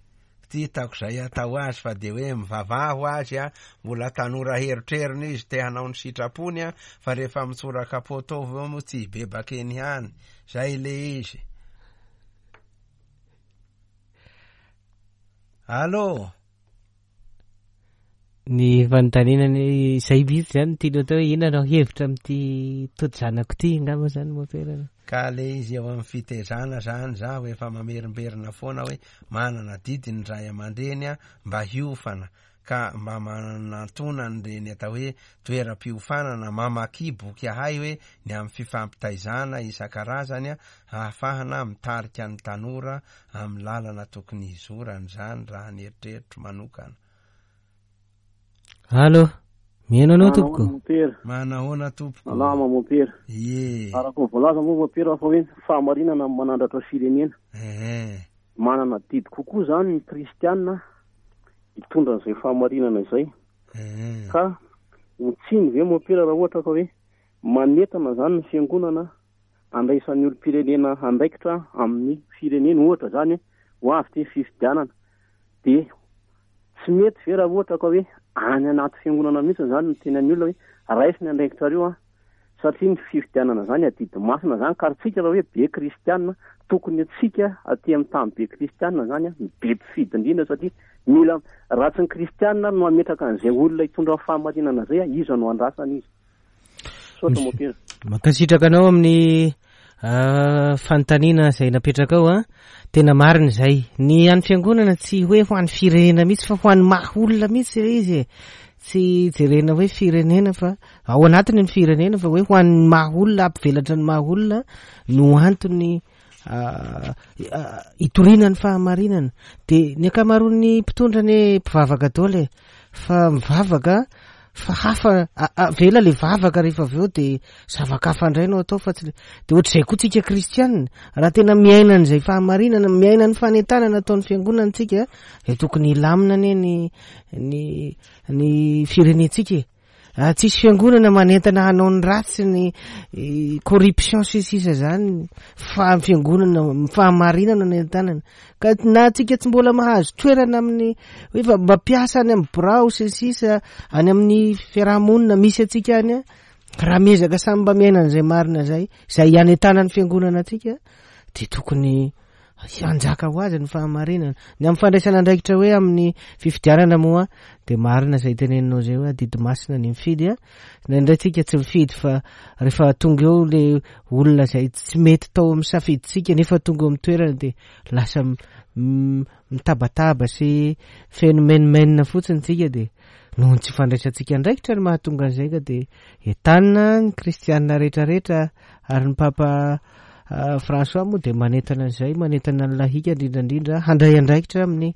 Tsy hitako izay atao azy fa dia hoe mivavaha ho azy a, mbola tanora herotrerony izy te hanao ny sitrapony a, fa rehefa mitsoraka poto eo moa tsy hibebaka eny ihany. Zay le izy. Allô? Ny fanontaniana ny izay mihitsy zany no tianao atao hoe inona no hevitra amin'ity tody zanako ity angamba zany mopera. Ka le izy eo amin'ny fitezana zany zaho efa mamerimberina foana hoe manana adidy ny ray aman-dreny a mba hiofana ka mba manantona an'ireny atao hoe toeram-piofanana mamaky boky ahay hoe ny amin'ny fifampitaizana isan-karazany a ahafahana mitarika ny tanora amin'ny lalana tokony hizorany zany raha ny eritreritro manokana. Allô, mihaino anao tompoko. Mopera. Manahoana tompoko? Salama mopera. Ie. Araka ny voalaza moa mopera fa hoe ny fahamarinana no manandratra firenena. Ehe. Manana adidy kokoa zany ny kristiana hitondra an'izay fahamarinana izay. Ehe. Ka ho tsiny ve mopera raha ohatra ka hoe manentana zany ny fiangonana andraisan'ny olom-pirenena andraikitra amin'ny firenena ohatra zany hoe ho avy ty fifidianana dia tsy mety ve raha ohatra ka hoe any anaty fiangonana mihitsy zany no tenan'ny olona hoe raiso ny andraikitrareo a satria ny fifidianana zany adidy masina zany ka tsika raha hoe be kristianina tokony atsika aty amin'ny tany be kristianina zany a ny be mpifidy indrindra satria mila raha tsy ny kristianina no mametraka an'izay olona hitondra ny fahamarinana zay a iza no andrasana izy. Misaotra mopera. Mankasitraka anao amin'ny fanontaniana izay napetrakao a. Tena marina izay. Ny an'ny fiangonana tsy hoe ho an'ny firenena mihitsy fa ho an'ny maha olona mihitsy ilay izy e. Tsy jerena hoe firenena fa ao anatiny ny firenena fa hoe ho an'ny maha olona, hampivelatra ny maha olona no antony hitoriana ny fahamarinana. Dia ny ankamaroan'ny mpitondra anie mpivavaka daholo e. Fa mivavaka fa hafa avela le vavaka rehefa avy eo de zava-kafa indray no atao fa tsy le de ohatr'izay koa tsika kristianina raha tena miaina an'izay fahamarinana miaina ny fanentanana ataon'ny fiangonana tsika de tokony hilamina anie ny ny ny firenentsika e. Raha tsisy fiangonana manentana hanao ny ratsy ny corruption sy sisa zany fa ny fiangonana ny fahamarinana no entanana ka na tsika tsy mbola mahazo toerana amin'ny hoe fa mba mpiasa any amin'ny birao sy ny sisa any amin'ny fiarahamonina misy antsika any a raha miezaka samy mba miaina an'izay marina zay izay anentanan'ny fiangonana antsika de tokony Hanjaka ho azy ny fahamarinana. Ny amin'ny fandraisana andraikitra hoe amin'ny fifidianana moa dia marina izay teneninao izay hoe adidy masina ny mifidy a. Indraindray tsika tsy mifidy fa rehefa tonga eo le olona izay tsy mety tao amin'ny safidintsika nefa tonga eo amin'ny toerana dia lasa mitabataba sy feno menomenona fotsiny tsika dia noho ny tsy fandraisantsika andraikitra no mahatonga an'izay ka dia entanina ny kristianina rehetrarehetra ary ny papa François moa dia manentana an'izay, manentana ny lahika indrindra indrindra handray andraikitra amin'ny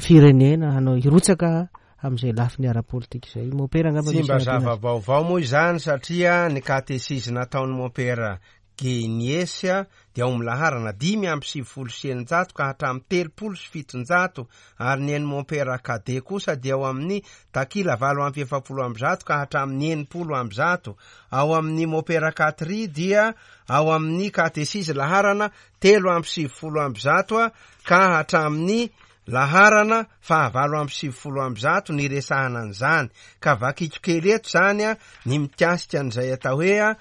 firenena, hanao hirotsaka amin'izay lafiny ara-politika izay. Mompera angamba Tsy misy mba hanampiana azy. zava-baovao moa izany satria ny katesizy nataon'i Mompera Genies dia ao amin'ny laharana 695 ka hatramin'ny 730 ary ny an'i Mompera Cadet kosa dia ao amin'ny takila 148 ka hatramin'ny 160. Ao amin'ny Mompera Catry dia ao amin'ny katesizy laharana 193 ka hatramin'ny laharana faha 198 niresahana an'izany. Ka vakiko kely eto izany ny mikasika an'izay atao hoe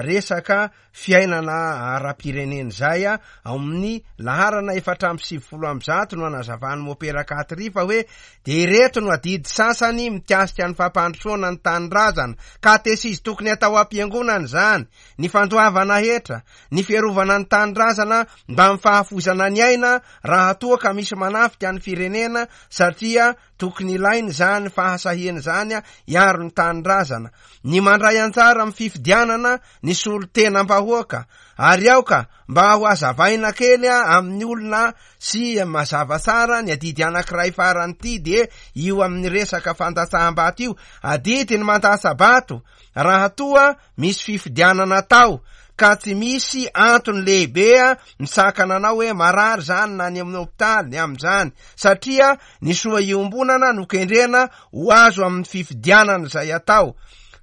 resaka fiainana ara-pirenena izay ao amin'ny laharana 194 no anazavan'i Mopera Katry fa hoe dia ireto no adidy sasany mikasika ny fampandrosoana ny tanindrazana, katesizy tokony atao am-piangonana izany, ny fandoavana hetra, ny fiarovana ny tanindrazana mbamin'ny fahafoizana ny aina raha toa ka misy manafika. hitarika ny firenena satria tokony ilaina izany fahasahiana izany hiaro ny tanindrazana. Ny mandray anjara amin'ny fifidianana ny solontenam-bahoaka ary aoka mba ho hazavaina kely amin'ny olona sy mazava tsara ny adidy anankiray farany ity dia io amin'ny resaka fandatsaham-bato io. Adidy ny mandatsa-bato raha toa misy fifidianana atao ka tsy misy antony lehibe misakana anao hoe marary zany na any amin'ny hopitaly ny amin'izany satria ny soa iombonana no kendrena ho azo amin'ny fifidianana izay atao.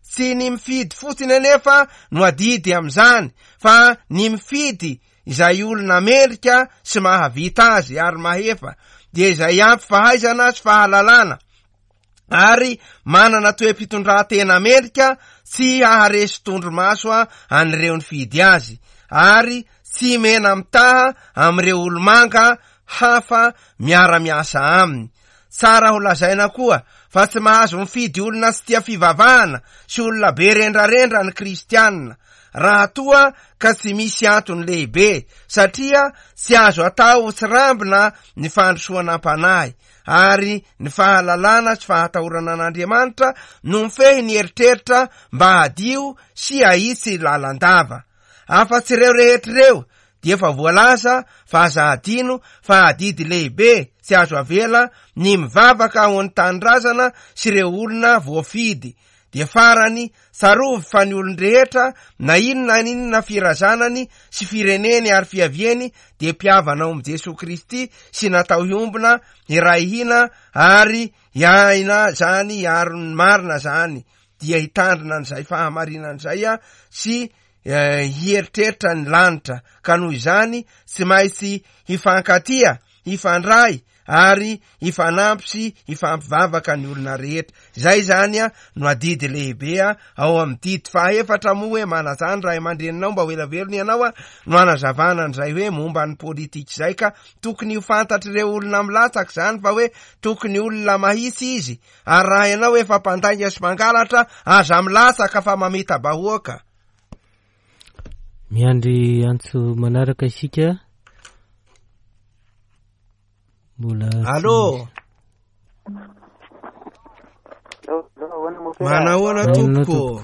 Tsy ny mifidy fotsiny anefa no adidy amin'izany fa ny mifidy izay olona mendrika sy mahavita azy ary mahefa dia izay ampy fahaizana sy fahalalana ary manana toe-pitondrantena mendrika tsy haharesy tondromaso an'ireo nifidy azy ary tsy mena-mitaha amin'ireo olomanga hafa miara-miasa aminy. Tsara ho lazaina koa fa tsy mahazo mifidy olona tsy tia fivavahana sy olona be rendrarendra ny kristiana raha toa ka tsy misy antony lehibe satria tsy azo atao tsirambina ny fandrosoana am-panahy ary ny fahalalana sy fahatahorana an'Andriamanitra no mifehy ny eritreritra mba hadio sy hahitsy lalandava. Afa-tsy ireo rehetra ireo dia efa voalaza fa aza hadino fa adidy lehibe tsy azo avela ny mivavaka ho an'ny tanindrazana sy ireo olona voafidy. Dia farany, tsarovy fa ny olon-drehetra na inona na inona firazanany sy fireneny ary fiaviany dia mpihavana ao amin'i Jesoa Kristy sy natao hiombona, hiray hina ary hiaina zany hiaro ny marina zany dia hitandrina an'izay fahamarinana izay sy hieritreritra ny lanitra ka noho izany tsy maintsy hifankatia, hifandray ary hifanampy sy hifampivavaka ny olona rehetra. Izay izany no adidy lehibe ao amin'ny didy fahaefatra moa hoe manajà ny ray aman-dreninao mba ho ela velona ianao no anazavana an'izay hoe momba ny politika izay ka tokony ho fantatr'ireo olona milatsaka izany fa hoe tokony olona mahitsy izy ary raha ianao efa mpandainga sy mpangalatra aza milatsaka fa mamita-bahoaka. Miandry antso manaraka isika. Mbola Allô. Manahoana tompoko?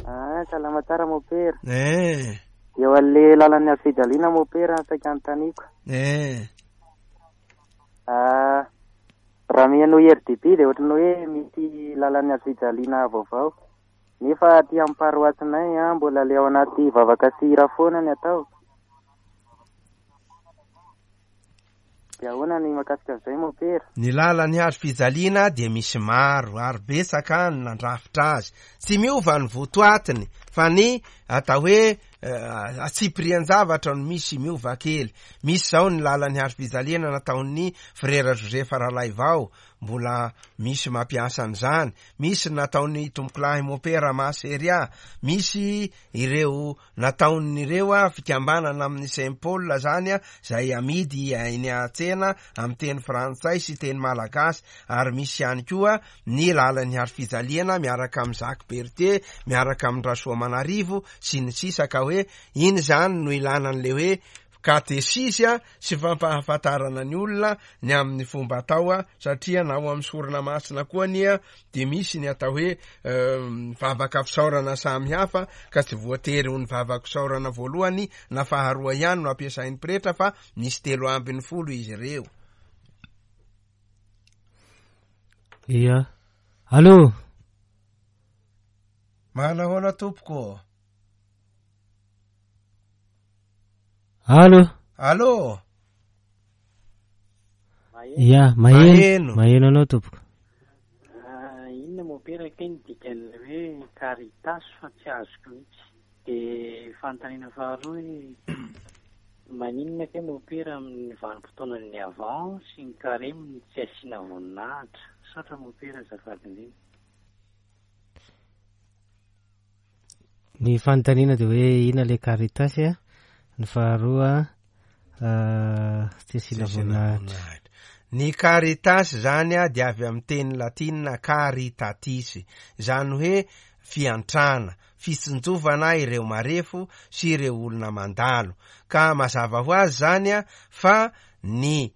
Ah, salama tsara mopera. Eh. Eo an'le lalan'ny hazo fijaliana mopera ny saika anontaniako. Eh. Ah, raha mihaino RDB dia ohatran'ny hoe misy lalan'ny hazo fijaliana vaovao. Nefa aty amin'ny paroasinay an, mbola le ao anaty vavaka sy hira foana ny atao. Dia ahoana ny mahakasika an'izay mopera? Ny lalan'ny hazo fijaliana dia misy maro ary betsaka ny nandrafitra azy. Tsy miova ny votoatiny fa ny atao hoe antsipirian-javatra no misy miova kely. Misy izao ny lalan'ny hazo fijaliana nataon'ny Frera Joseph Ralaivao, mbola misy mampiasa an'izany. Misy ny nataon'ny Tompokolahy Mopera Maseria, misy ireo nataon'ireo fikambanana amin'ny Saint Paul zany izay amidy eny an-tsena amin'ny teny frantsay sy teny malagasy ary misy ihany koa ny lalan'ny hazo fijaliana miaraka amin'i Jacques Berthier miaraka amin'i Rasoamanarivo sy ny sisa ka hoe iny zany no ilana an'le hoe katesizy sy fampahafantarana ny olona ny amin'ny fomba atao satria na ao amin'ny sorona masina koa anie dia misy ny atao hoe vavaka fisaorana samy hafa ka tsy voatery ho ny vavaka fisaorana voalohany na faharoa ihany no ampiasain'ny pretra fa misy 13 izy ireo. Ia. Allô? Manahoana tompoko? Allô? Allô? Ya, maheno. Maheno anao tompoko. Ah, inona mopera kay ny dikan'ilay hoe caritas fa tsy azoko mihitsy. Dia fanontaniana faharoa hoe maninona kay mopera amin'ny vanim-potoanan'ny avant sy ny carême no tsy asiana voninahitra? Misaotra mopera azafady indrindra. Ny fanontaniana dia hoe inona ilay caritas a? Ny faharoa tsy asiana voninahitra. Ny caritas izany dia avy amin'ny teny latinina caritatis, izany hoe fiantrana, fitsinjovana ireo marefo sy ireo olona mandalo. Ka mazava ho azy izany fa ny.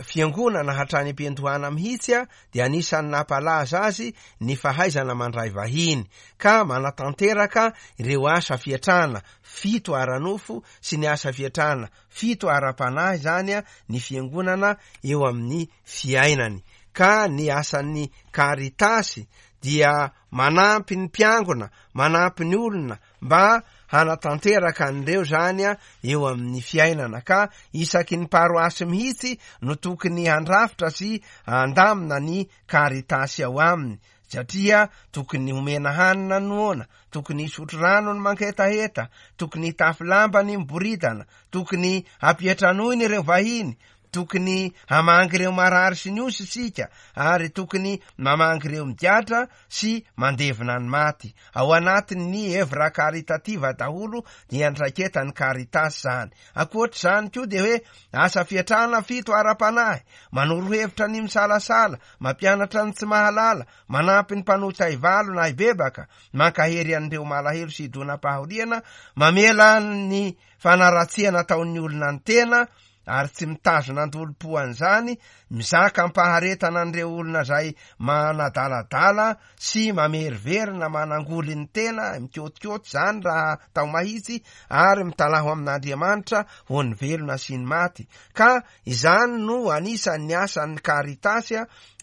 Fiangonana hatrany am-piandohana mihitsy dia anisan'ny nampalaza azy ny fahaizana mandray vahiny ka manatanteraka ireo asa fiatrana fito ara-nofo sy ny asa fiatrana fito ara-panahy izany ny Fiangonana eo amin'ny fiainany ka ny asan'ny Caritas dia manampy ny mpiangona, manampy ny olona mba hanatanteraka an'ireo izany eo amin'ny fiainana ka isaky ny paroasy mihitsy no tokony handrafitra sy handamina ny Caritas ao aminy satria tokony homena hanina ny noana, tokony hisotro rano ny mangetaheta, tokony hitafy lamba ny miboridana, tokony hampiantranoina ireo vahiny, Tokony hamangy ireo marary sy ny osy isika ary tokony mamangy ireo migadra sy mandevina ny maty. Ao anatin'ny evra caritativa daholo ny andraiketan'ny Caritas izany. Ankoatr'izany koa dia hoe asa fiatrana fito ara-panahy, manoro hevitra ny misalasala, mampianatra ny tsy mahalala, manampy ny mpanota hivalo na hibebaka, mankahery an'ireo malahelo sy idonam-pahoriana, mamela ny fanaratsiana ataon'ny olona ny tena, ary tsy mitazona an-dolompo an'izany, mizaka am-paharetana an'ireo olona izay manadaladala sy mameriverina manangoly ny tena, mikôtikôty izany raha atao mahitsy, ary mitalaho amin'Andriamanitra ho an'ny velona sy ny maty. Ka izany no anisan'ny asan'ny Caritas,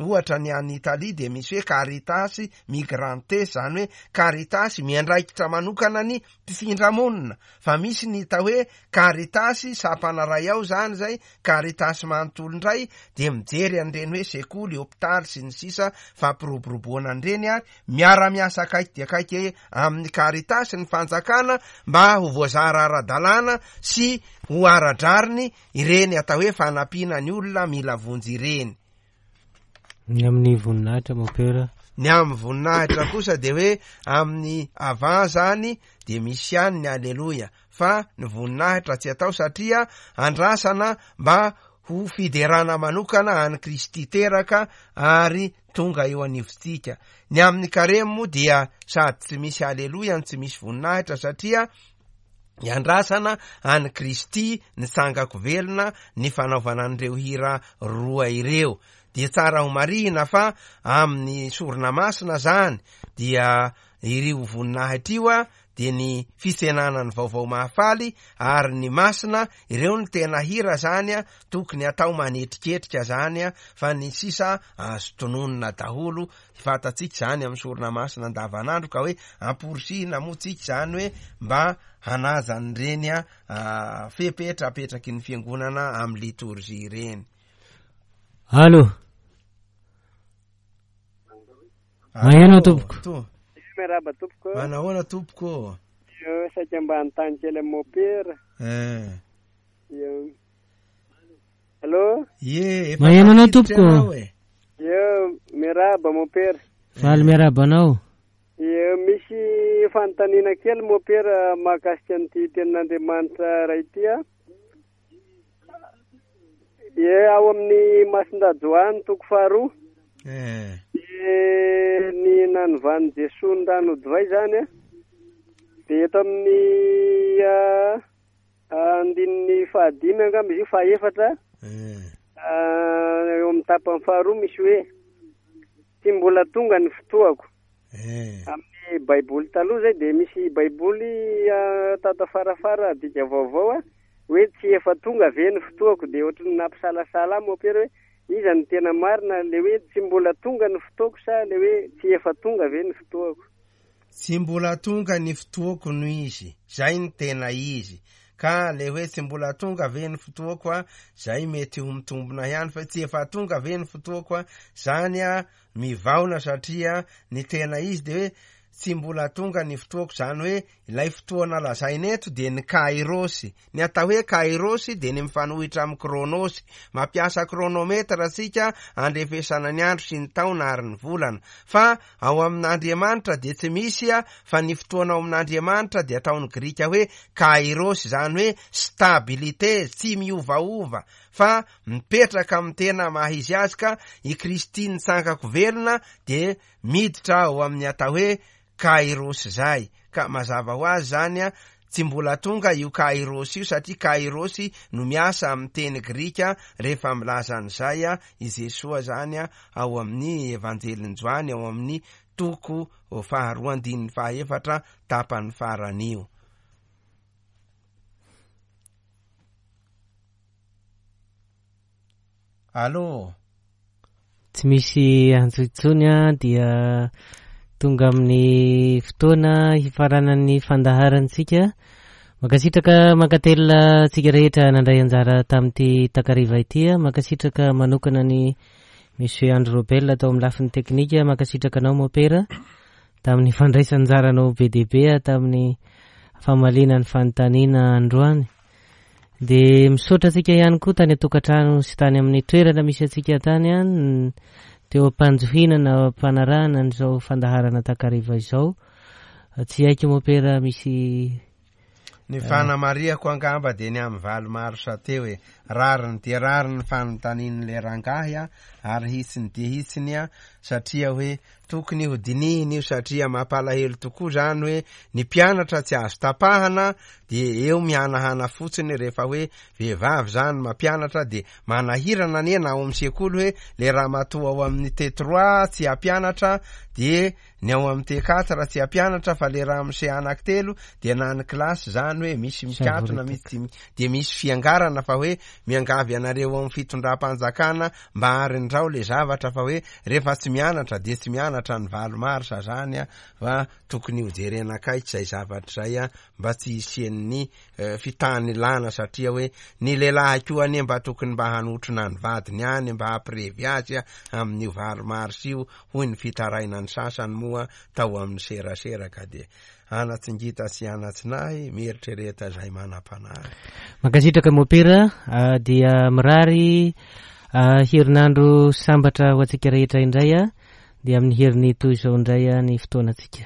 ohatra ny any Italia dia misy hoe Caritas Migrantes, izany hoe Caritas miandraikitra manokana ny mpifindra monina, fa misy ny hita hoe Caritas sampana ray ao zany zay, Caritas manontolo indray dia mijery an'ireny hoe sekoly, hopitaly sy ny sisa fampiroboroboana an'ireny ary miara-miasa akaiky dia akaiky amin'ny Caritas ny fanjakana mba ho voazara ara-dalàna sy ho ara-drariny ireny atao hoe fanampiana ny olona mila vonjy ireny. Ny amin'ny voninahitra mompera. Ny amin'ny voninahitra kosa dia hoe amin'ny avant zany dia misy ihany ny aleloia fa ny voninahitra tsy atao satria andrasana mba ho fiderana manokana an'i Kristy teraka ary tonga eo anivontsika. Ny amin'ny karemy moa dia sady tsy misy aleloia no tsy misy voninahitra satria Iandrasana an'i Kristy nitsangako velona ny fanaovana an'ireo hira roa ireo. Dia tsara ho marihina fa amin'ny sorona masina zany dia irio voninahitra io dia ny fitsenana ny vaovao mahafaly ary ny masina, ireo no tena hira zany tokony atao manetriketrika zany fa ny sisa azo tononina daholo Fantatsika izany amin'ny sorona masina andavanandro ka hoe amporisihina moa tsika izany hoe mba hanaja an'ireny fepetra apetraky ny fiangonana amin'ny litorjia ireny. Allo. Maheno tompoko. To. Miarahaba tompoko. Manahoana tompoko? Io saika mba hanontany kely amin'ny mopera. Eh. Io. Allo? Ie, efa Maheno anao tafiditra tompoko. ianao e. Io, miarahaba mopera. Faly miarahaba anao. Io, misy fanontaniana kely mopera mahakasika an'ity tenin'Andriamanitra iray ity a. Ie, ao amin'ny Masindahy Joany toko faharoa. Eh. Dia ny nanovan'i Jesoa ny rano ho divay izany a. Dia eto amin'ny ah, Andininy fahadimy angamba izy io, fahaefatra, eo amin'ny tapany faharoa misy hoe, Tsy mbola tonga ny fotoako. Amin'ny Baiboly taloha izay dia misy Baiboly tato afarafara dika vaovao hoe tsy efa tonga ve ny fotoako dia ohatran'ny nampisalasala ahy mompera hoe iza no tena marina ilay hoe tsy mbola tonga ny fotoako sa ilay hoe tsy efa tonga ve ny fotoako. Tsy mbola tonga ny fotoako no izy, zay no tena izy. Ka le hoe tsy mbola tonga ve ny fotoako a, zay mety ho mitombina ihany fa tsy efa tonga ve ny fotoako a, zany a mivaona satria ny tena izy de hoe tsy mbola tonga ny fotoako, zany hoe ilay fotoana lazaina eto dia ny kairos. Ny atao hoe kairos dia ny mifanohitra amin'ny chronos. Mampiasa chronomètre isika andrefesana ny andro sy ny taona ary ny volana. Fa ao amin'Andriamanitra dia tsy misy fa ny fotoana ao amin'Andriamanitra dia ataon'ny Grika hoe kairos, izany hoe stabilité, tsy miovaova fa mipetraka amin'ny tena maha izy azy ka i Kristy nitsangako velona dia miditra ao amin'ny atao hoe kairos izay. Ka mazava ho azy izany. tsy mbola tonga io kairos io satria kairos no miasa amin'ny teny grika rehefa milaza an'izay i Jesoa zany ao amin'ny Evanjelin'i Joany ao amin'ny toko faharoa andininy fahaefatra tapany farany io. Allô? Tsy misy antso intsony an, dia tonga amin'ny fotoana hifaranan'ny fandaharantsika. Mankasitraka mankatelina antsika rehetra nandray anjara tamin'ity takariva ity. Mankasitraka manokana ny Monsieur Andry Robel tao amin'ny lafiny teknika. Mankasitraka anao Mopera tamin'ny fandraisan'anjaranao be dia be tamin'ny famaliana ny fanontaniana androany. Dia misaotra antsika ihany koa tany an-tokantrano sy tany amin'ny toerana misy antsika tany an, teo am-panjohiana na am-panarahana an'izao fandaharana takariva izao. Tsy haiko mopera misy Ny fanamarihako angamba dia ny amin'ny valo marsa teo e. Rariny dia rariny ny fanontanian'ilay rangahy a, ary hitsiny dia hitsiny a, satria hoe Tokony ho dinihina io satria mampalahelo tokoa zany hoe ny mpianatra tsy azo tapahana dia eo mihanahana fotsiny rehefa hoe vehivavy zany mampianatra dia manahirana anie na ao amin'ny sekoly hoe le ramatoa ao amin'ny T3 tsy hampianatra dia ny ao amin'ny T4 tsy hampianatra fa le ramose anaky telo dia na ny kilasy zany hoe misy mikatona misy tsy dia misy fiangarana fa hoe miangavy anareo ao amin'ny fitondram-panjakana mba arindrao le zavatra fa hoe rehefa tsy mianatra dia tsy mianatra ny valo marsa zany a fa tokony ho jerena akaiky zay zavatra zay a mba tsy hisian'ny fitanilana satria hoe ny lehilahy koa anie mba tokony mba hanotrona ny vadiny any mba hampirevy azy a amin'io valo marsa io hoy ny fitarainan'ny sasany moa tao amin'ny serasera ka dia Anatsingita sy anatsinahy, mieritrereta izay manam-panahy. Mankasitraka Mopera, dia mirary herinandro sambatra ho antsika rehetra indray dia amin'ny heriny toy izao indray ny fotoanantsika.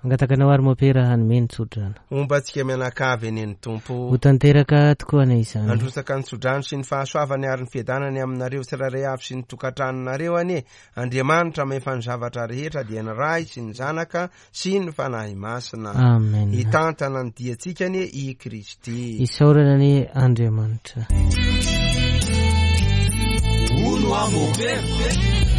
Mangataka anao ary Mopera hanome ny tsodrano. Homba antsika mianakavy anie ny Tompo. Ho tanteraka tokoa anie izany. Handrotsaka ny tsodrano sy ny fahasoavany ary ny fiadanany aminareo tsirairay avy sy ny tokantranonareo anie Andriamanitra mahefa ny zavatra rehetra dia ny Ray sy ny Zanaka sy ny Fanahy Masina. Amen. Hitantana ny diantsika anie i Kristy. Isaorana anie Andriamanitra. Hono aho mopera.